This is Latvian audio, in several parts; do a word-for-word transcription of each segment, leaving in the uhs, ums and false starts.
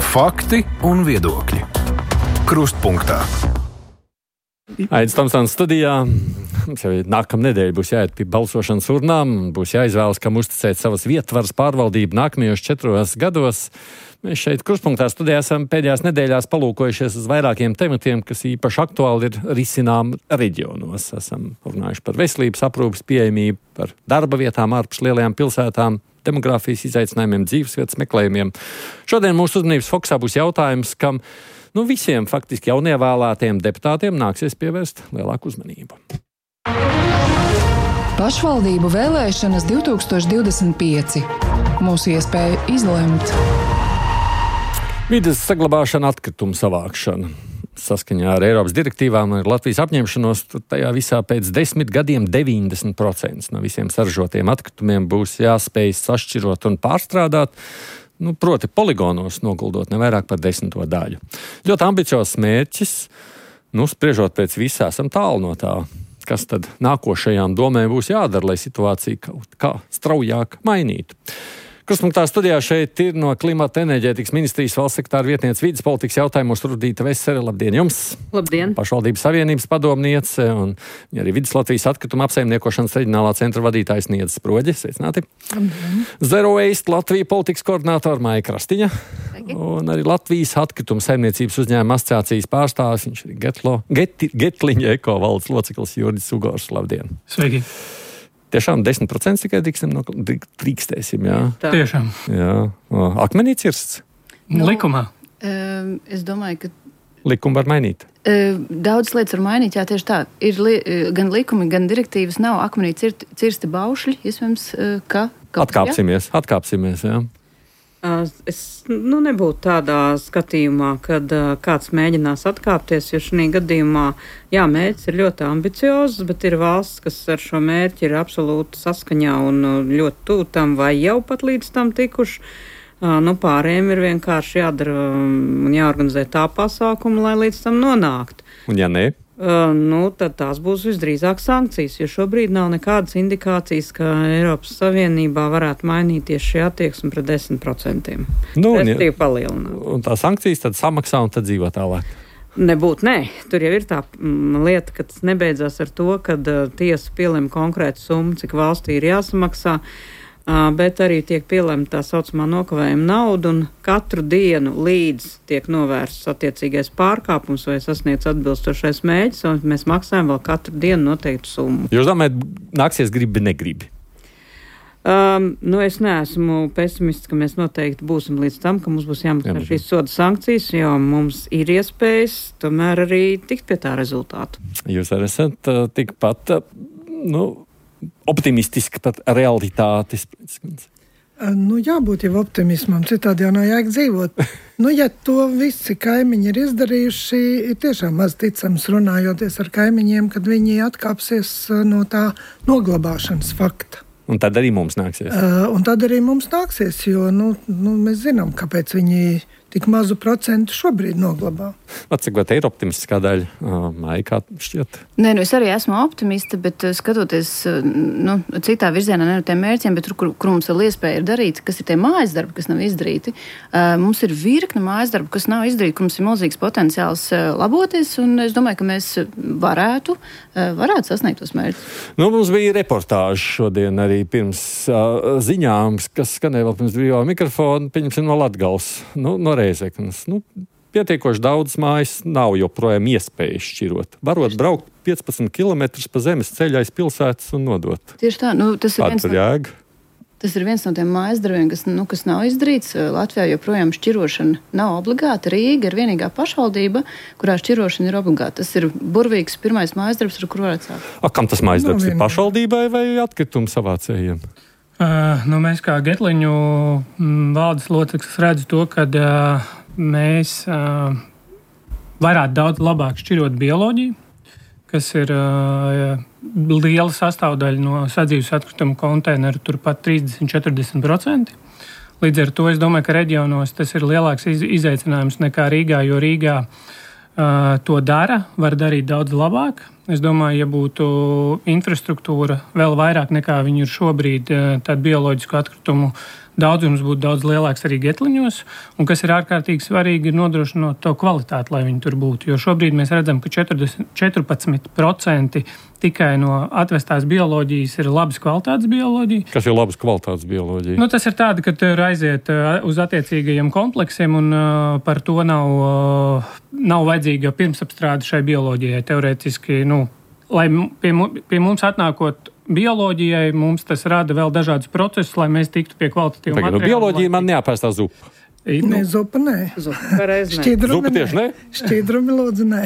Fakti un viedokļi. Krustpunktā. Aidis Tomsons studijā. Mums jau nākamā nedēļa būs jāiet pie balsošanas urnām, būs jāizvēlas, kam uzticēt savas vietvaras pārvaldību nākamajos četros gados. Mēs šeit Krustpunktā studijā esam pēdējās nedēļās palūkojušies uz vairākiem tematiem, kas īpaši aktuāli ir risinām reģionos. Esam runājuši par veselības aprūpes pieejamību, par darba vietām ārpus lielajām pilsētām, demogrāfijas izaicinājumiem, dzīvesvietas meklējumiem. Šodien mūsu uzmanības fokusā būs jautājums, kam nu, visiem faktiski jaunievēlētiem deputātiem nāksies pievērst lielāku uzmanību. Pašvaldību vēlēšanas divi tūkstoši divdesmit pieci. Mūsu iespēja izlemt. Vides saglabāšana, atkritumu savākšana. Saskaņā ar Eiropas direktīvām un Latvijas apņemšanos, tajā visā pēc desmit gadiem deviņdesmit procenti no visiem saražotiem atkritumiem būs jāspēj sašķirot un pārstrādāt, nu, proti poligonos noguldot ne vairāk par desmito daļu. Ļoti ambiciozs mērķis, nu, spriežot pēc visā, esam tālu no tā. Kas tad nākošajām domēm būs jādara, lai situācija kaut kā straujāk mainītu? Krustpunktā studijā šeit ir no Klimata enerģētikas ministrijas valsts sekretāra vietniece vides politikas jautājumos Rudīta Vesere. Labdien jums! Labdien! Pašvaldības savienības padomniece un arī Vides Latvijas atkrituma apsaimniekošanas reģionālā centra vadītājs Niedzis Sproģe. Sveicināti! Labdien! Zero Waste Latvija politikas koordinātora Maija Krastiņa. Sveiki. Un arī Latvijas atkrituma saimniecības uzņēmuma asociācijas pārstāvis, viņš ir Getlo, Get, Getliņa eko valdes loceklis Juridis Ugors. Labdien! Sveiki! Tiešām desmit procenti tikai drīkstam, no, drīkstēsim, jā? Tā. Tiešām. Jā. Akmenī cirsts? No, likumā. Um, es domāju, ka... Likumu var mainīt? Um, daudz lietas var mainīt, jā, tieši tā. Ir li, gan likumi, gan direktīvas nav akmenī cirt, cirsti baušļi, iespējams, ka... Atkāpsimies, jā? atkāpsimies, jā. Es nu, nebūtu tādā skatījumā, kad uh, kāds mēģinās atkāpties, jo šī gadījumā, jā, mērķis ir ļoti ambiciozs, bet ir valsts, kas ar šo mērķi ir absolūti saskaņā un uh, ļoti tuvu tam vai jau pat līdz tam tikuši. Uh, nu, pārējiem ir vienkārši jādara un um, jāorganizē tā pasākuma, lai līdz tam nonāktu. Un ja ne? Uh, nu, tad tās būs visdrīzāk sankcijas, jo šobrīd nav nekādas indikācijas, ka Eiropas Savienībā varētu mainīties šī attieksme pret desmit procentiem. Nu, un, ja, un tā sankcijas tad samaksā un tad dzīvo tālāk. Nebūt, nē. Tur jau ir tā mm, lieta, ka tas nebeidzās ar to, ka uh, tiesa pielem konkrētu summu, cik valstī ir jāsamaksā. Uh, bet arī tiek pielemta tā saucamā nokavējuma nauda, un katru dienu līdz tiek novērsts attiecīgais pārkāpums vai sasniegts atbilstošais mēģis, un mēs maksājam vēl katru dienu noteiktu summu. Jūs domājat, nāksies gribi, negribi? Um, nu, es neesmu pesimists, ka mēs noteikti būsim līdz tam, ka mums būs jāmaksā šīs soda sankcijas, jo mums ir iespējas tomēr arī tikt pie tā rezultātu. Jūs arī esat uh, tikpat, uh, nu, optimistiski par realitātes. Nu, jābūt jau optimismam, citādi jau nav jēga dzīvot. Nu, ja to visi kaimiņi ir izdarījuši, ir tiešām maz ticams runājoties ar kaimiņiem, kad viņi atkāpsies no tā noglabāšanas fakta. Un tad arī mums nāksies. Uh, un tad arī mums nāksies, jo nu, nu, mēs zinām, kāpēc viņi tik mazu procentu šobrīd noglabā. Cik vai te ir optimistiskā daļa? Maija, kā šķiet? Nē, nu es arī esmu optimista, bet skatoties nu, citā virzienā, ne no tiem mērķiem, bet tur, kur, kur mums vēl iespēja ir darīt, kas ir tie mājas darbi, kas nav izdarīti. Mums ir virkne mājas darbi, kas nav izdarīti, kur mums ir milzīgs potenciāls laboties, un es domāju, ka mēs varētu, varētu sasniegt tos mērķus. Nu, mums bija reportāži šodien arī pirms uh, ziņām, kas skanēja vēl pirms brīvā mikrofona, pieņemsim no Latgales, nu, no Reizeknas. Nu, pietiekoši daudz mājas nav joprojām iespējas šķirot. Varot braukt piecpadsmit kilometrus pa zemes ceļa aiz pilsētas un nodot. Tieši tā. Nu, tas, ir viens no, jēga? tas ir viens no tiem mājas darbiem, kas, nu, kas nav izdarīts. Latvijā joprojām šķirošana nav obligāta. Rīga ir vienīgā pašvaldība, kurā šķirošana ir obligāta. Tas ir burvīgs pirmais mājas darbs, ar kur varētu sākt. A, kam tas mājas darbs? No, ir pašvaldībai vai atkritumu savācējiem? Uh, nu, mēs kā Getliņu m, valdes loceklis redzu to, ka uh, mēs uh, varētu daudz labāk šķirot bioloģiju, kas ir uh, liela sastāvdaļa no sadzīves atkrituma konteineru, turpat trīsdesmit līdz četrdesmit procenti. Līdz ar to es domāju, ka reģionos tas ir lielāks iz, izaicinājums nekā Rīgā, jo Rīgā uh, to dara, var darīt daudz labāk. Es domāju, ja būtu infrastruktūra vēl vairāk nekā viņi ir šobrīd, tad bioloģisku atkritumu daudzums būtu daudz lielāks arī Getliņos, un kas ir ārkārtīgi svarīgi, ir nodrošinot to kvalitāti, lai viņi tur būtu. Jo šobrīd mēs redzam, ka četrdesmit, četrpadsmit procenti tikai no atvestās bioloģijas ir labas kvalitātes bioloģija. Kas ir labas kvalitātes bioloģija? Nu, tas ir tāda, ka tur aiziet uz attiecīgajiem kompleksiem, un uh, par to nav, uh, nav vajadzīga pirmsapstrāde šai bioloģijai. Teorētiski, nu, lai pie, pie mums atnākot bioloģijai, mums tas rada vēl dažādus procesus, lai mēs tiktu pie kvalitatīva materiāla. Nu, bioloģija man neapēstā zupa. Nē, zupa nē. Zupa reiz nē. Šķidrumi Zupa tieši nē. Šķidrumi lūdzu nē.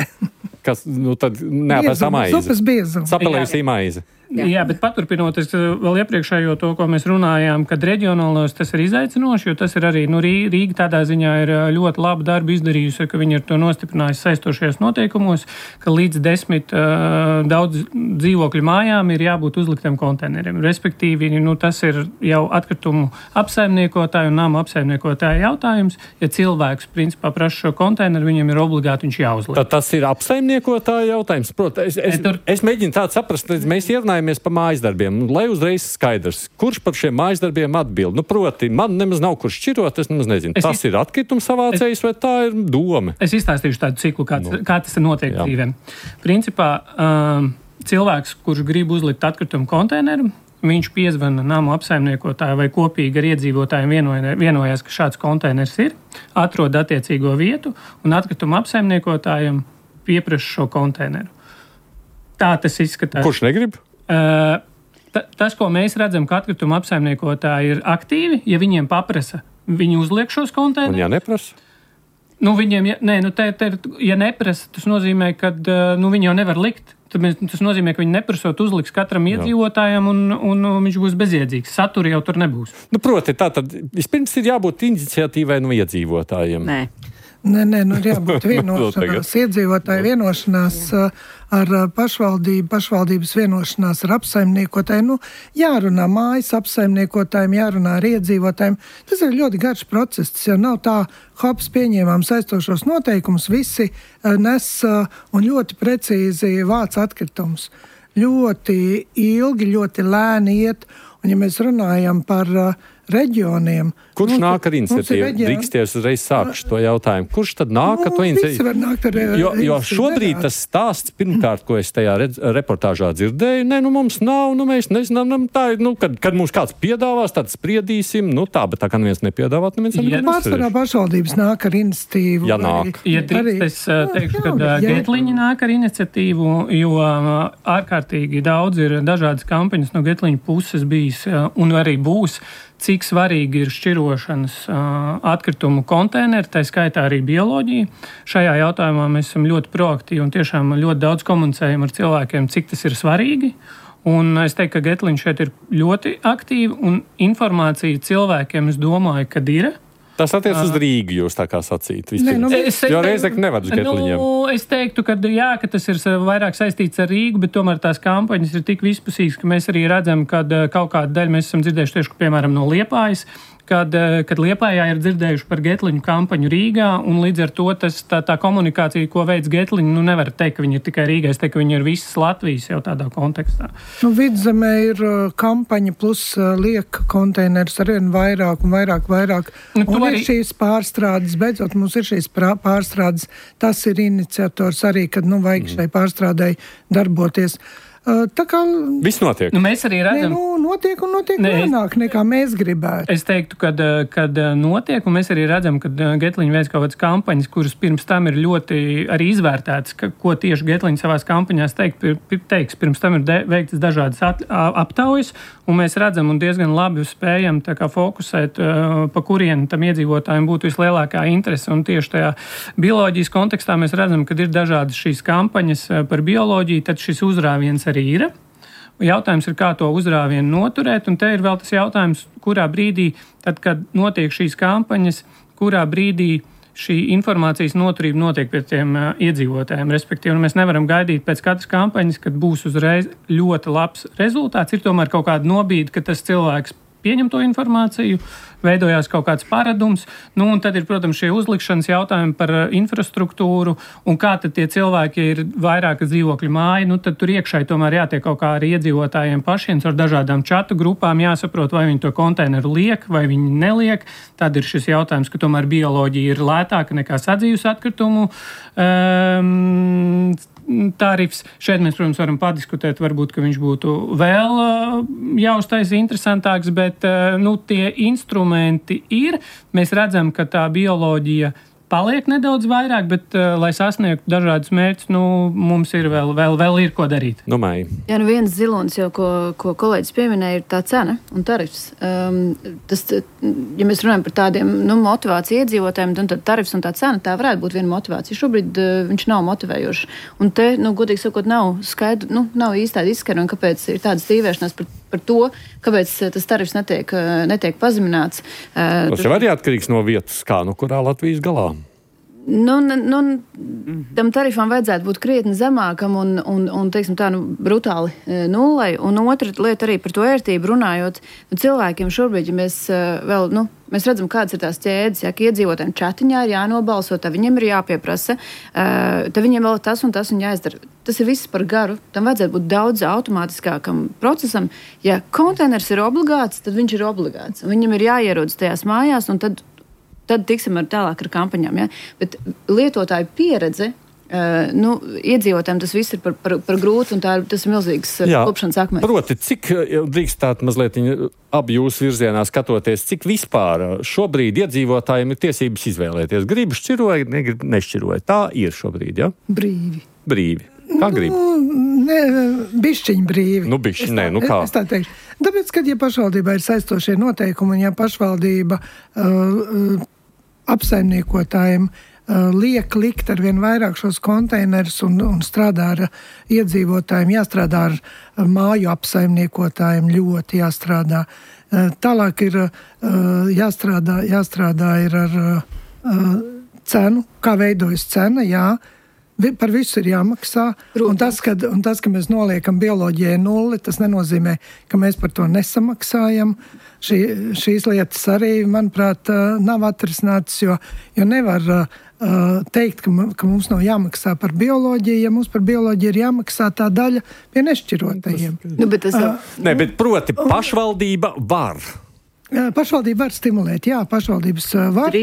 Kas, nu tad neapēstā maize. Zupas biezuma. Sapelējusī maize. Jā. Jā, bet paturpinot, es vēl iepriekšējo to, ko mēs runājām, kad reģionālos tas ir izaicinoši, jo tas ir arī, nu, Rīga tādā ziņā ir ļoti labu darbu izdarījusi, ka viņi ir to nostiprinājusi saistošajos noteikumos, ka līdz desmit uh, daudz dzīvokļu mājām ir jābūt uzliktiem konteineriem. Respektīvi, nu, tas ir jau atkritumu apsaimniekotāju un nama apsaimniekotāju jautājums. Ja cilvēks, principā, prasa šo konteineru, viņam ir obligāti viņš jāuzliek. Tad tas ir apsaimniekotāju jautājums. Protams, es, es, Tur... es mēģinu tādu saprast, mēs ierunājam par mājasdarbiem, lai uzreiz skaidrs, kurš par šiem mājasdarbiem atbild. Nu, proti, man nemaz nav kur šķirot, es nemaz nezinu. Es tas iz... ir atkritums savācējs es... vai tā ir doma? Es izstāstīšu tādu ciklu, kā, nu. kā tas notiek Jā. dzīvēm. Principā, um, cilvēks, kurš grib uzlikt atkritumu konteineru, viņš piezvana namu apsaimniekotāju vai kopīgi ar iedzīvotājiem vienojās, ka šāds konteiners ir, atrod attiecīgo vietu un atkritumu apsaimniekotājiem pieprasa šo konteineru. Tā tas izskatās. Kurš negrib? Uh, ta, tas, ko mēs redzam, ka atkrituma apsaimniekotāji ir aktīvi, ja viņiem paprasa, viņi uzliek šos konteinerus. Un ja neprasa? Nu, viņiem, ja, nē, nu, te, te, ja neprasa, tas nozīmē, ka nu, viņi jau nevar likt. Tas nozīmē, ka viņi neprasot uzliks katram iedzīvotājam un, un, un viņš būs bezjēdzīgs. Satura jau tur nebūs. Nu, proti, tā tad vispirms ir jābūt iniciatīvai no iedzīvotājiem. Nē. Nē, nē, nu ir jābūt vienošanās, iedzīvotāju vienošanās ar pašvaldību, pašvaldības vienošanās ar apsaimniekotājiem. Nu, jārunā mājas apsaimniekotājiem, jārunā ar iedzīvotājiem. Tas ir ļoti garš process, tas jau nav tā, hops, pieņēmām saistošos noteikumus, visi nes un ļoti precīzi vāc atkritumus. Ļoti ilgi, ļoti lēni iet, un ja mēs runājam par reģioniem. Kurš mums, nāk ar iniciatīvu? Drīksties uzreiz sākšu to jautājumu. Kurš tad nāk ar to iniciatīvu? Jo, jo šobrīd tas stāsts, pirmkārt, ko es tajā redz, reportāžā dzirdēju, ne, nu mums nav, nu mēs nezinām, tā ir, nu, kad, kad mums kāds piedāvās, tad spriedīsim, nu tā, bet tā kā neviens nepiedāvāt, neviens ja, neviens pārsvarā pašvaldības nāk ar iniciatīvu. Ja nāk. Ja drīkst, es teikšu, ka Getliņi nāk ar iniciatīvu, jo ārkārtīgi daudz ir dažādas kampaņas no Getliņu puses bijis un arī būs, cik svarīgi ir šķirošanas uh, atkritumu konteineri, tā skaitā arī bioloģija. Šajā jautājumā mēs esam ļoti proaktīvi un tiešām ļoti daudz komunicējam ar cilvēkiem, cik tas ir svarīgi. Un es teiktu, ka Getliņš šeit ir ļoti aktīvi un informācija cilvēkiem, es domāju, kad ir. Tas attiec uz Rīgu, jūs tā kā sacīt. Ne, nu, es, jo reizēk nevar uz Getliņiem. Nu, es teiktu, ka jā, ka tas ir vairāk saistīts ar Rīgu, bet tomēr tās kampaņas ir tik vispusīgas, ka mēs arī redzam, ka kaut kādu daļu mēs esam dzirdējuši tieši, piemēram, no Liepājas, kad, kad Liepājā ir dzirdējuši par Getliņu kampaņu Rīgā, un līdz ar to tas, tā, tā komunikācija, ko veids Getliņu, nu nevar teikt, ka viņi ir tikai Rīgā, es teiktu, ka viņi ir visas Latvijas jau tādā kontekstā. Nu, Vidzemē ir kampaņa plus liek konteinerus arvien vairāk un vairāk, vairāk. Nu, un arī... ir šīs pārstrādes, beidzot mums ir šīs pārstrādes, tas ir iniciators arī, kad, nu, vajag šai pārstrādai darboties. Tā kā viss notiek. Nu, mēs arī redzam, ne, nu, notiek un notiek lēnāk nekā mēs gribētu. Es teiktu, kad, kad notiek, un mēs arī redzam, ka Getliņa veids kaut kādas kampaņas, kuras pirms tam ir ļoti arī izvērtētas, ka, ko tieši Getliņa savās kampaņās teikt, teiks. Pirms tam ir de, veiktas dažādas at, aptaujas, un mēs redzam un diezgan labi spējam tā kā fokusēt, pa kurien tam iedzīvotājiem būtu vislielākā interese. Un tieši tajā bioloģijas kontekstā mēs redzam, ka ir dažādas šīs kampaņas par bioloģiju, tad šis uzrāviens arī ir. Jautājums ir, kā to uzrāvienu noturēt, un te ir vēl tas jautājums, kurā brīdī, tad, kad notiek šīs kampaņas, kurā brīdī šī informācijas noturība notiek pie tiem uh, iedzīvotājiem. Respektīvi, mēs nevaram gaidīt pēc katras kampaņas, kad būs uzreiz ļoti labs rezultāts. Ir tomēr kaut kāda nobīde, ka tas cilvēks pieņem to informāciju, veidojās kaut kāds paradums, nu un tad ir, protams, šie uzlikšanas jautājumi par infrastruktūru un kā tad tie cilvēki ir vairākas dzīvokļu māja, nu tad tur iekšai tomēr jātiek kaut kā arī iedzīvotājiem pašiem ar dažādām čatu grupām, jāsaprot, vai viņi to konteineru liek, vai viņi neliek. Tad ir šis jautājums, ka tomēr bioloģija ir lētāka nekā sadzīves atkritumu um, tarifs. Šeit mēs, protams, varam padiskutēt, varbūt, ka viņš būtu vēl uh, jāuztaisa interesantāks, bet uh, nu, tie instrumenti ir. Mēs redzam, ka tā bioloģija paliek nedaudz vairāk, bet, uh, lai sasniegtu dažādus mērķus, nu, mums ir vēl, vēl, vēl ir ko darīt. Nu, Maija. Jā, nu viens zilonis jau, ko, ko kolēģis pieminēja, ir tā cena un tarifs. Um, tas, ja mēs runājam par tādiem nu, motivāciju iedzīvotājiem, tad tarifs un tā cena, tā varētu būt viena motivācija. Šobrīd uh, viņš nav motivējošs. Un te, nu, godīgi sakot, nav skaidru, nu, nav īstādi izskaidrojumi, kāpēc ir tāda stīvēšanās par, par to, kāpēc tas tarifs netiek, netiek pazemināts. Uh, tas jau arī atkarīgs no vietas, kā, nu, kurā Latvijas galā. Nu, nu, tam tarifam vajadzētu būt krietni zemākam un, un, un teiksim tā, nu, brutāli nullei. Un otra lieta arī par to ērtību runājot. Nu, cilvēkiem šobrīd, ja mēs vēl, nu, mēs redzam, kādas ir tās ķēdes, ja, ka iedzīvotājiem chatiņā ir jānobalso, tad viņiem ir jāpieprasa, tad viņiem vēl tas un tas un jāizdara. Tas ir viss par garu. Tam vajadzētu būt daudz automātiskākam procesam. Ja konteiners ir obligāts, tad viņš ir obligāts. Viņam ir jāierodas tajās mājās un tad Tad tiksim ar tālāk ar kampaņām. Ja? Bet lietotāju pieredze, uh, nu, iedzīvotājiem tas viss ir par, par, par grūti, un tā, tas ir milzīgs klupšanas akmens. Proti, cik drīkstāt mazliet abi jūsu virzienā skatoties, cik vispār šobrīd iedzīvotājiem ir tiesības izvēlēties? Gribu šķiroja, negrib nešķiroja. Tā ir šobrīd, ja? Brīvi. Brīvi. Kā grib? Nu, ne, bišķiņ brīvi. Nu, bišķiņ, nē, nu kā? Es tā teikšu. Tāpēc, kad ja pašvaldībā ir saistošie noteikumi, un ja pašvaldība uh, uh, apsaimniekotājiem uh, liek likt ar vien vairāk šos konteinerus un, un strādā ar iedzīvotājiem, jāstrādā ar uh, māju apsaimniekotājiem, ļoti jāstrādā. Uh, tālāk ir uh, jāstrādā, jāstrādā ir ar uh, cenu, kā veidojas cena, jā. Par visu ir jāmaksā, un tas, kad, un tas, ka mēs noliekam bioloģijai nulli, tas nenozīmē, ka mēs par to nesamaksājam. Šī, šīs lietas arī, manuprāt, nav atrisinātas, jo, jo nevar uh, teikt, ka, ka mums nav jāmaksā par bioloģiju, ja mums par bioloģiju ir jāmaksā tā daļa pie nešķirotajiem. Nu, bet tas jau... uh, ne, bet proti pašvaldība var. Pašvaldība var stimulēt, jā, pašvaldības var,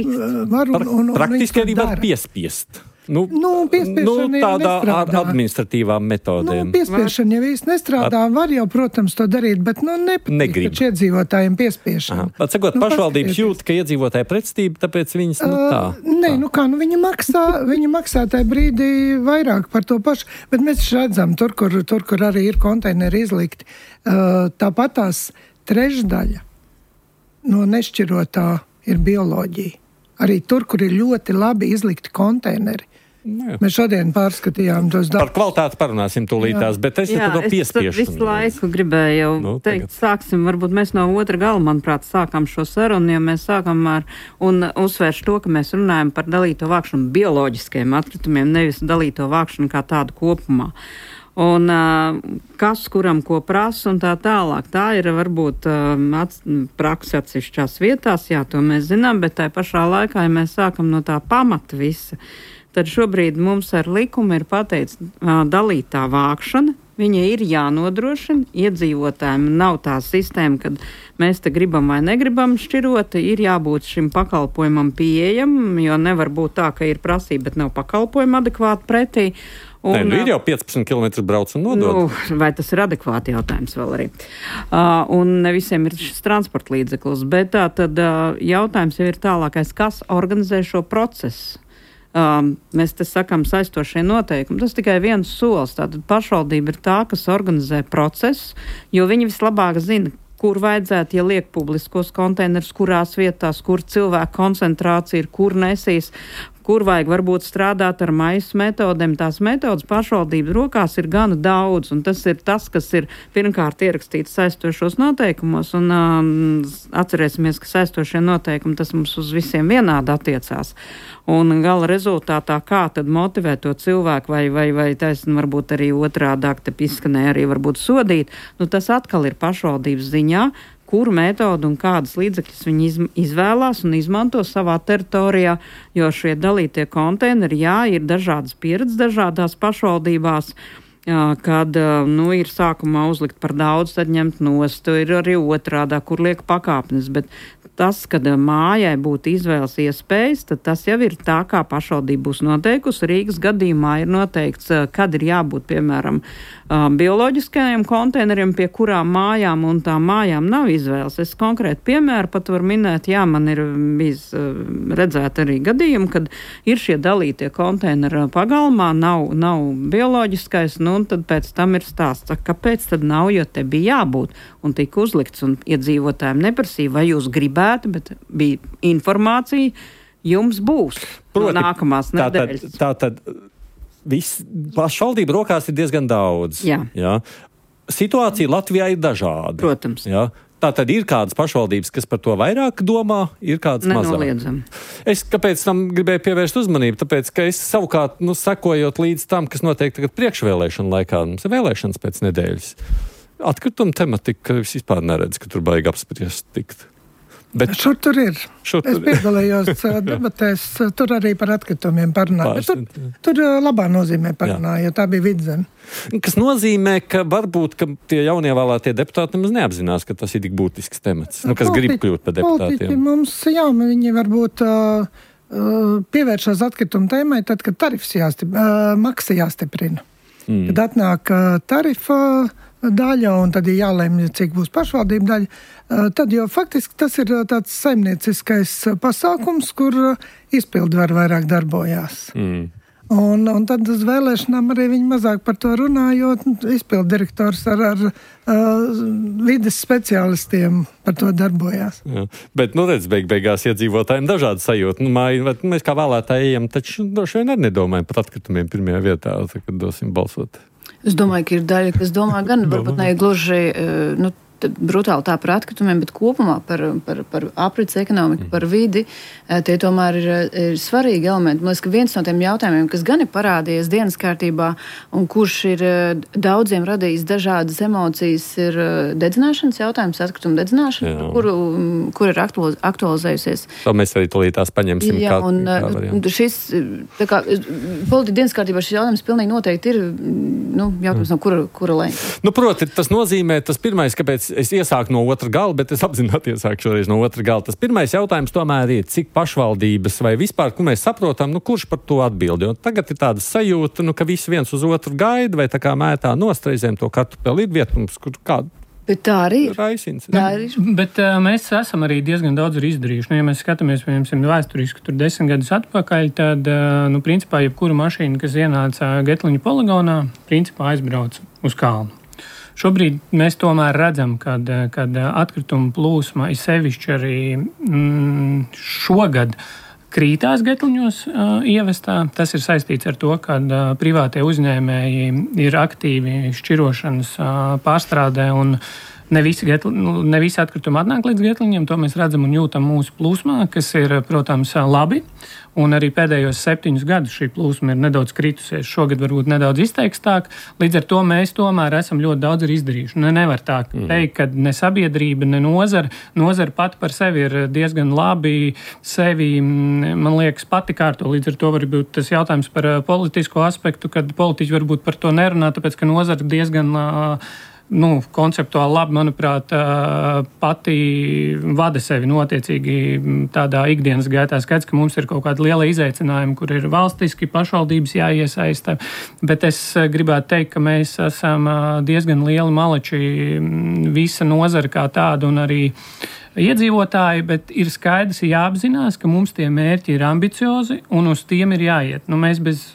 var un, un, un praktiski arī var piespiest. Nu, nu, nu, tādā ar administratīvām metodēm. Nu, piespiešana jau īsti nestrādā. Var jau, protams, to darīt, bet nu, nepatīk taču iedzīvotājiem piespiešana. Pat sakot, nu, pašvaldības jūt, ka iedzīvotāji pretstība, tāpēc viņas nu, tā. Uh, nē, nu kā, nu viņi maksā, viņi maksā tajā brīdī vairāk par to pašu, bet mēs redzam, tur, kur, tur, kur arī ir konteineri izlikti, uh, tāpat tās trešdaļa no nešķirotā ir bioloģija. Arī tur, kur ir ļoti labi izlikti konteineri. Jā. Mēs šodien pārskatījām tos darbus. Par kvalitāti parunāsim tūlītās, jā. Bet es jā, par to piespiešanu. Es visu laiku gribēju jau nu, teikt, tagad. Sāksim, varbūt mēs no otra gala, manuprāt, sākam šo sarunu, jo mēs sākam ar, un uzsvērš to, ka mēs runājam par dalīto vākšanu bioloģiskajiem atkritumiem, nevis dalīto vākšanu kā tādu kopumā. Un uh, kas kuram ko prasa un tā tālāk. Tā ir varbūt uh, ats, praksa atsevišķās vietās, jā, to mēs zinām, bet tā pašā laikā, ja mēs sākam no tā pamata visa, tad šobrīd mums ar likumu ir pateikts uh, dalītā vākšana. Viņa ir jānodrošina, iedzīvotājiem nav tā sistēma, kad mēs te gribam vai negribam šķirot, ir jābūt šim pakalpojumam pieejam, jo nevar būt tā, ka ir prasība, bet nav pakalpojuma adekvāti pretī. Un, Nē, nu ir jau piecpadsmit kilometri brauc un nodod. Nu, vai tas ir adekvāti jautājums vēl arī. Uh, un ne visiem ir šis transporta līdzeklis, bet tā tad uh, jautājums jau ir tālākais, kas organizē šo procesu. Um, mēs te sakam saistošie noteikumi. Tas tikai viens solis. Tātad pašvaldība ir tā, kas organizē procesu, jo viņi vislabāk zina, kur vajadzētu, ja liek publiskos konteinerus, kurās vietās, kur cilvēku koncentrācija ir, kur nesīs, kur vajag varbūt strādāt ar maisu metodēm. Tās metodas pašvaldības rokās ir gana daudz, un tas ir tas, kas ir pirmkārt ierakstīts saistošos noteikumos, un um, atcerēsimies, ka saistošie noteikumi tas mums uz visiem vienādi attiecās. Un gala rezultātā, kā tad motivēt to cilvēku, vai, vai, vai taisn varbūt arī otrādāk te izskanēja arī varbūt sodīt, nu tas atkal ir pašvaldības ziņā, kuru metodu un kādas līdzekļus viņi iz, izvēlās un izmanto savā teritorijā, jo šie dalītie konteineri, jā, ir dažādas pieredzes dažādās pašvaldībās, kad nu, ir sākumā uzlikt par daudz, tad ņemt nost, ir arī otrādā, kur liek pakāpnes, bet tas, kad mājai būtu izvēles iespējas, tad tas jau ir tā, kā pašvaldība būs noteikusi. Rīgas gadījumā ir noteikts, kad ir jābūt, piemēram, bioloģiskajiem konteineriem, pie kurām mājām un tām mājām nav izvēles. Es konkrēti piemēru pat varu minēt, jā, man ir bijis redzēt arī gadījumi, kad ir šie dalītie konteineri pagalmā, nav, nav bioloģiskais, nu, un tad pēc tam ir stāsts, kāpēc tad nav, jo te bija jābūt, un tika uzlikts, un iedzīvotājiem neprasīja, vai jūs gribētu, bet bija informācija, jums būs Proti, no nākamās nedēļas. Tā tad, tā tad viss pašvaldību rokās ir diezgan daudz. Jā. Jā. Situācija Latvijā ir dažāda. Protams. Jā. Tā tad ir kādas pašvaldības, kas par to vairāk domā, ir kādas mazāk. Nenoliedzam. Es kāpēc tam gribēju pievērst uzmanību? Tāpēc, ka es savukārt, nu, sekojot līdz tam, kas notiek tagad priekšvēlēšana laikā, mums ir vēlēšanas pēc nedēļas. Atkrituma tematika es vispār neredzu, ka tur baigi apspriest tikt. Bet šur tur ir. Šur es tur piedalījos debatēs, tur arī par atkritumiem parunāju. Tur, tur labā nozīmē parunāju, jo tā bija vidzeme. Kas nozīmē, ka varbūt ka tie jaunievēlētie deputāti nemaz neapzinās, ka tas ir tik būtisks temats. Nu, kas Politi- grib kļūt par deputātiem. Politiķi mums, jā, viņi varbūt uh, pievēršās atkritumu tēmai, tad, kad tarifs jāstip, uh, maksa jāstiprina. Mm. Kad atnāk uh, tarifa daļa, un tad ir jālēmj, cik būs pašvaldība daļa, tad jau faktiski tas ir tāds saimnieciskais pasākums, kur izpildu var vairāk darbojās. Mm. Un, un tad uz vēlēšanām arī viņi mazāk par to runā, jo izpildu direktors ar, ar uh, vides speciālistiem par to darbojās. Jā. Bet, nu redz, beig beigās iedzīvotājiem dažādi sajūta. Nu, māji, mēs kā vēlētāji ejam, taču droši vien arī nedomājam par atkritumiem pirmajā vietā, tad, kad dosim balsot. Es domāju, ka ir daļa, kas domā gan, varbūt ne gluži, nu, brutāli tā par atkritumiem, bet kopumā par, par, par aprits ekonomiku, par vidi, tie tomēr ir, ir svarīgi elementi. Man liekas, ka viens no tiem jautājumiem, kas gan ir parādījies dienas kārtībā un kurš ir daudziem radījis dažādas emocijas, ir dedzināšanas jautājums, atkrituma dedzināšana, par kuru, kur ir aktualizējusies. To mēs arī tūlīt tās paņemsim. Jā, kā, un kā šis, tā kā, politi dienas kārtībā šis jautājums pilnīgi noteikti ir, nu, jautājums no kura, kura lēņa. Nu, proti, tas nozīmē, tas pirmais, kāpēc es iesāku no otra gala, bet es apzināti iesāku šoreiz no otra gala. Tas pirmais jautājums tomēr ir, cik pašvaldības vai vispār, kur mēs saprotam, nu, kurš par to atbild. Jo tagad ir tāda sajūta, nu, ka visi viens uz otru gaida, vai tā kā mētā nostreizēm to kartupeli ir vietums, kur kādu. Bet tā arī ir. Raisins, tā arī ir. Bet uh, mēs esam arī diezgan daudz arī izdarījuši. Nu, ja mēs skatāmies, piemēram, vēsturiski tur desmit gadus atpakaļ, tad, uh, nu, principā, jebkura mašīna, kas ienāca Getliņu poligonā, principā aizbrauca uz kalnu. Šobrīd mēs tomēr redzam, kad, kad atkrituma plūsma ir sevišķi arī mm, šogad krītās Getliņos uh, ievestā. Tas ir saistīts ar to, ka uh, privātie uzņēmēji ir aktīvi šķirošanas uh, pārstrādē un ne visi, getli, nu, ne visi atkritumi atnāk līdz Getliņiem. To mēs redzam un jūtam mūsu plūsmā, kas ir, protams, labi. Un arī pēdējos septiņus gadus šī plūsma ir nedaudz kritusies. Šogad varbūt nedaudz izteikstāk. Līdz ar to mēs tomēr esam ļoti daudz arī izdarījuši. Ne, nevar tā teikt, ka ne sabiedrība, ne nozara. Nozara pati par sevi ir diezgan labi sevi, man liekas, pati kārto. Līdz ar to var būt tas jautājums par politisko aspektu, kad politiķi varbūt par to nerunā, tāpēc, ka nozara diezgan nu, konceptuāli labi, manuprāt, pati vada sevi notiecīgi tādā ikdienas gaitā. Skaidrs, ka mums ir kaut kāda liela izaicinājuma, kur ir valstiski pašvaldības jāiesaista, bet es gribētu teikt, ka mēs esam diezgan lieli maleči visa nozara kā tāda un arī iedzīvotāji, bet ir skaidrs jāapzinās, ka mums tie mērķi ir ambiciozi un uz tiem ir jāiet. Nu, mēs bez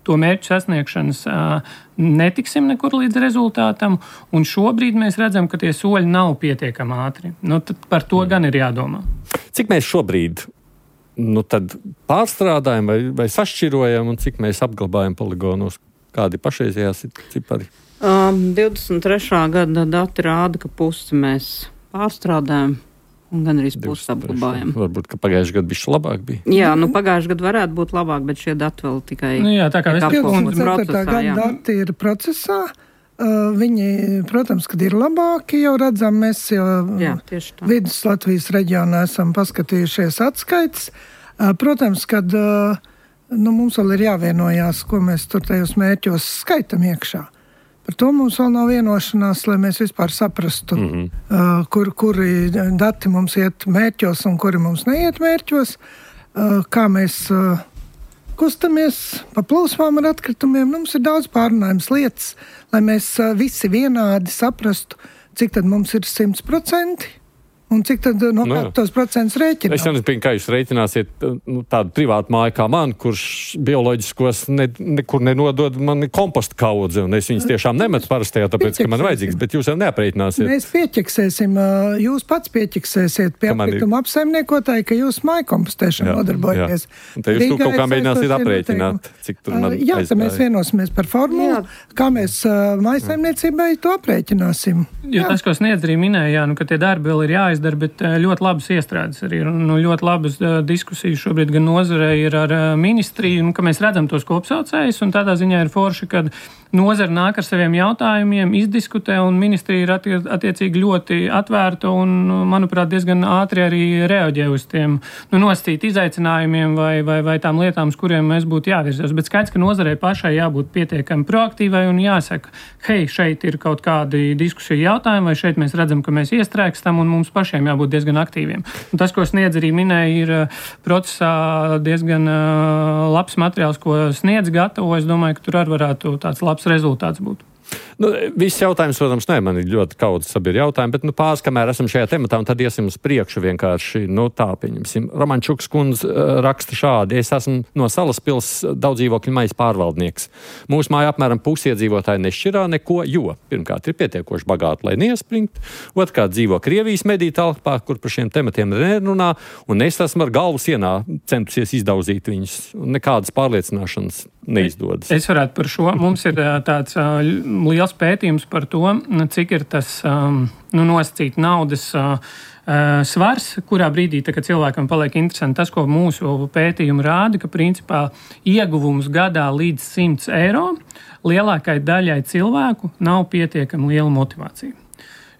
to mērķu sasniegšanas uh, netiksim nekur līdz rezultātam, un šobrīd mēs redzam, ka tie soļi nav pietiekami ātri. Nu, tad par to gan ir jādomā. Cik mēs šobrīd nu, tad pārstrādājam vai, vai sašķirojam, un cik mēs apglabājam poligonos? Kādi pašreizējās cipari? Um, divdesmit trešā gada dati rāda, ka pusi mēs pārstrādājam. Un gan arī pusi apglabājam. Varbūt, ka pagājušajā gadā bišķi labāk bija. Jā, nu pagājušajā gadā varētu būt labāk, bet šie dati vēl tikai nu, jā, tā kā apkopot procesā. Gada dati ir procesā, Viņi, protams, kad ir labāki, jau redzam, mēs jau Jā, vidus Latvijas reģionā esam paskatījušies atskaites. Protams, kad nu, mums vēl ir jāvienojās, ko mēs tur tajos mērķos skaitam iekšā. Par to mums vēl nav vienošanās, lai mēs vispār saprastu, mm-hmm. kur, kuri dati mums iet mērķos un kuri mums neiet mērķos, kā mēs kustamies pa plūsmām ar atkritumiem. Mums ir daudz pārunājums lietas, lai mēs visi vienādi saprastu, cik tad mums ir simts procenti. Un cik tad no nu, tos procentus rēķināt? Es jau nezinu, kā jūs rēķināsiet nu, tādu privātu māju kā man, kurš bioloģiskos ne, nekur nenodod mani kompostu kaudzi, un es viņus tiešām nemetu parastajā, tāpēc, ka man vajadzīgs, bet jūs jau neaprēķināsiet. Mēs pieķeksēsim, jūs pats pieķeksēsiet pie atkrituma apsaimniekotāji, ka jūs māju kompostēšanu nodarbojaties. Un te jūs kaut kā mēģināsiet aprēķināt, cik tur man Jā, tad mēs vienosimies par formulu, kā mēs mājasaimniecībai to aprēķināsim. Jo tas, ko Sniedz arī minēja, nu, ka tie darbi vēl ir jāizdara, bet ļoti labas iestrādes arī ir. Nu, ļoti labas diskusijas šobrīd gan nozarei ir ar ministriju, nu, ka mēs redzam tos kopsaucējus, un tādā ziņā ir forši, kad nozara nāk ar saviem jautājumiem, izdiskutē, un ministrija ir attie, attiecīgi ļoti atvērta un, manuprāt, diezgan ātri arī reaģē uz tiem nu, nostīt izaicinājumiem vai, vai, vai tām lietām, uz kuriem mēs būtu jāvirzās. Bet skaidrs, ka nozarei pašai jābūt pietiekami proaktīvai un jāsaka, hei, šeit ir kaut kādi diskusiju jautājumi, vai šeit mēs redzam, ka mēs iestrēgstam, un mums pašiem jābūt diezgan aktīviem. Un tas, ko Sniedz arī minēja, ir procesā diezgan labs materiāls, ko Sniedz gatavo. Es domāju, ka tur arī varētu tāds labs rezultāts būt. Nu, viss jautājums, protams, ne, man ir ļoti kaudz sabiedri jautājumi, bet nu, pāris, kamēr esam šajā tematā, un tad iesim uz priekšu vienkārši, nu tā, pieņemsim. Romančuks kundze uh, raksta šādi: es esmu no Salaspils daudz dzīvokļu majas pārvaldnieks. Mūsu māja apmēram pusi iedzīvotāji nešķirā neko, jo pirmkārt ir pietiekoši bagāti, lai neiespringt, otrkārt dzīvo Krievijas mediju telpā, kur par šiem tematiem nerunā, un es esmu ar galvu sienā centusies izdauzīt viņus, un nekādas pārliecināšanas neizdodas. Es varētu par šo. Mums ir tāds uh, liels pētījums par to, cik ir tas um, nu, nosacīt naudas uh, svars, kurā brīdī, tā, kad cilvēkam paliek interesanti tas, ko mūsu pētījumi rāda, ka principā ieguvums gadā līdz simts eiro lielākai daļai cilvēku nav pietiekami liela motivācija.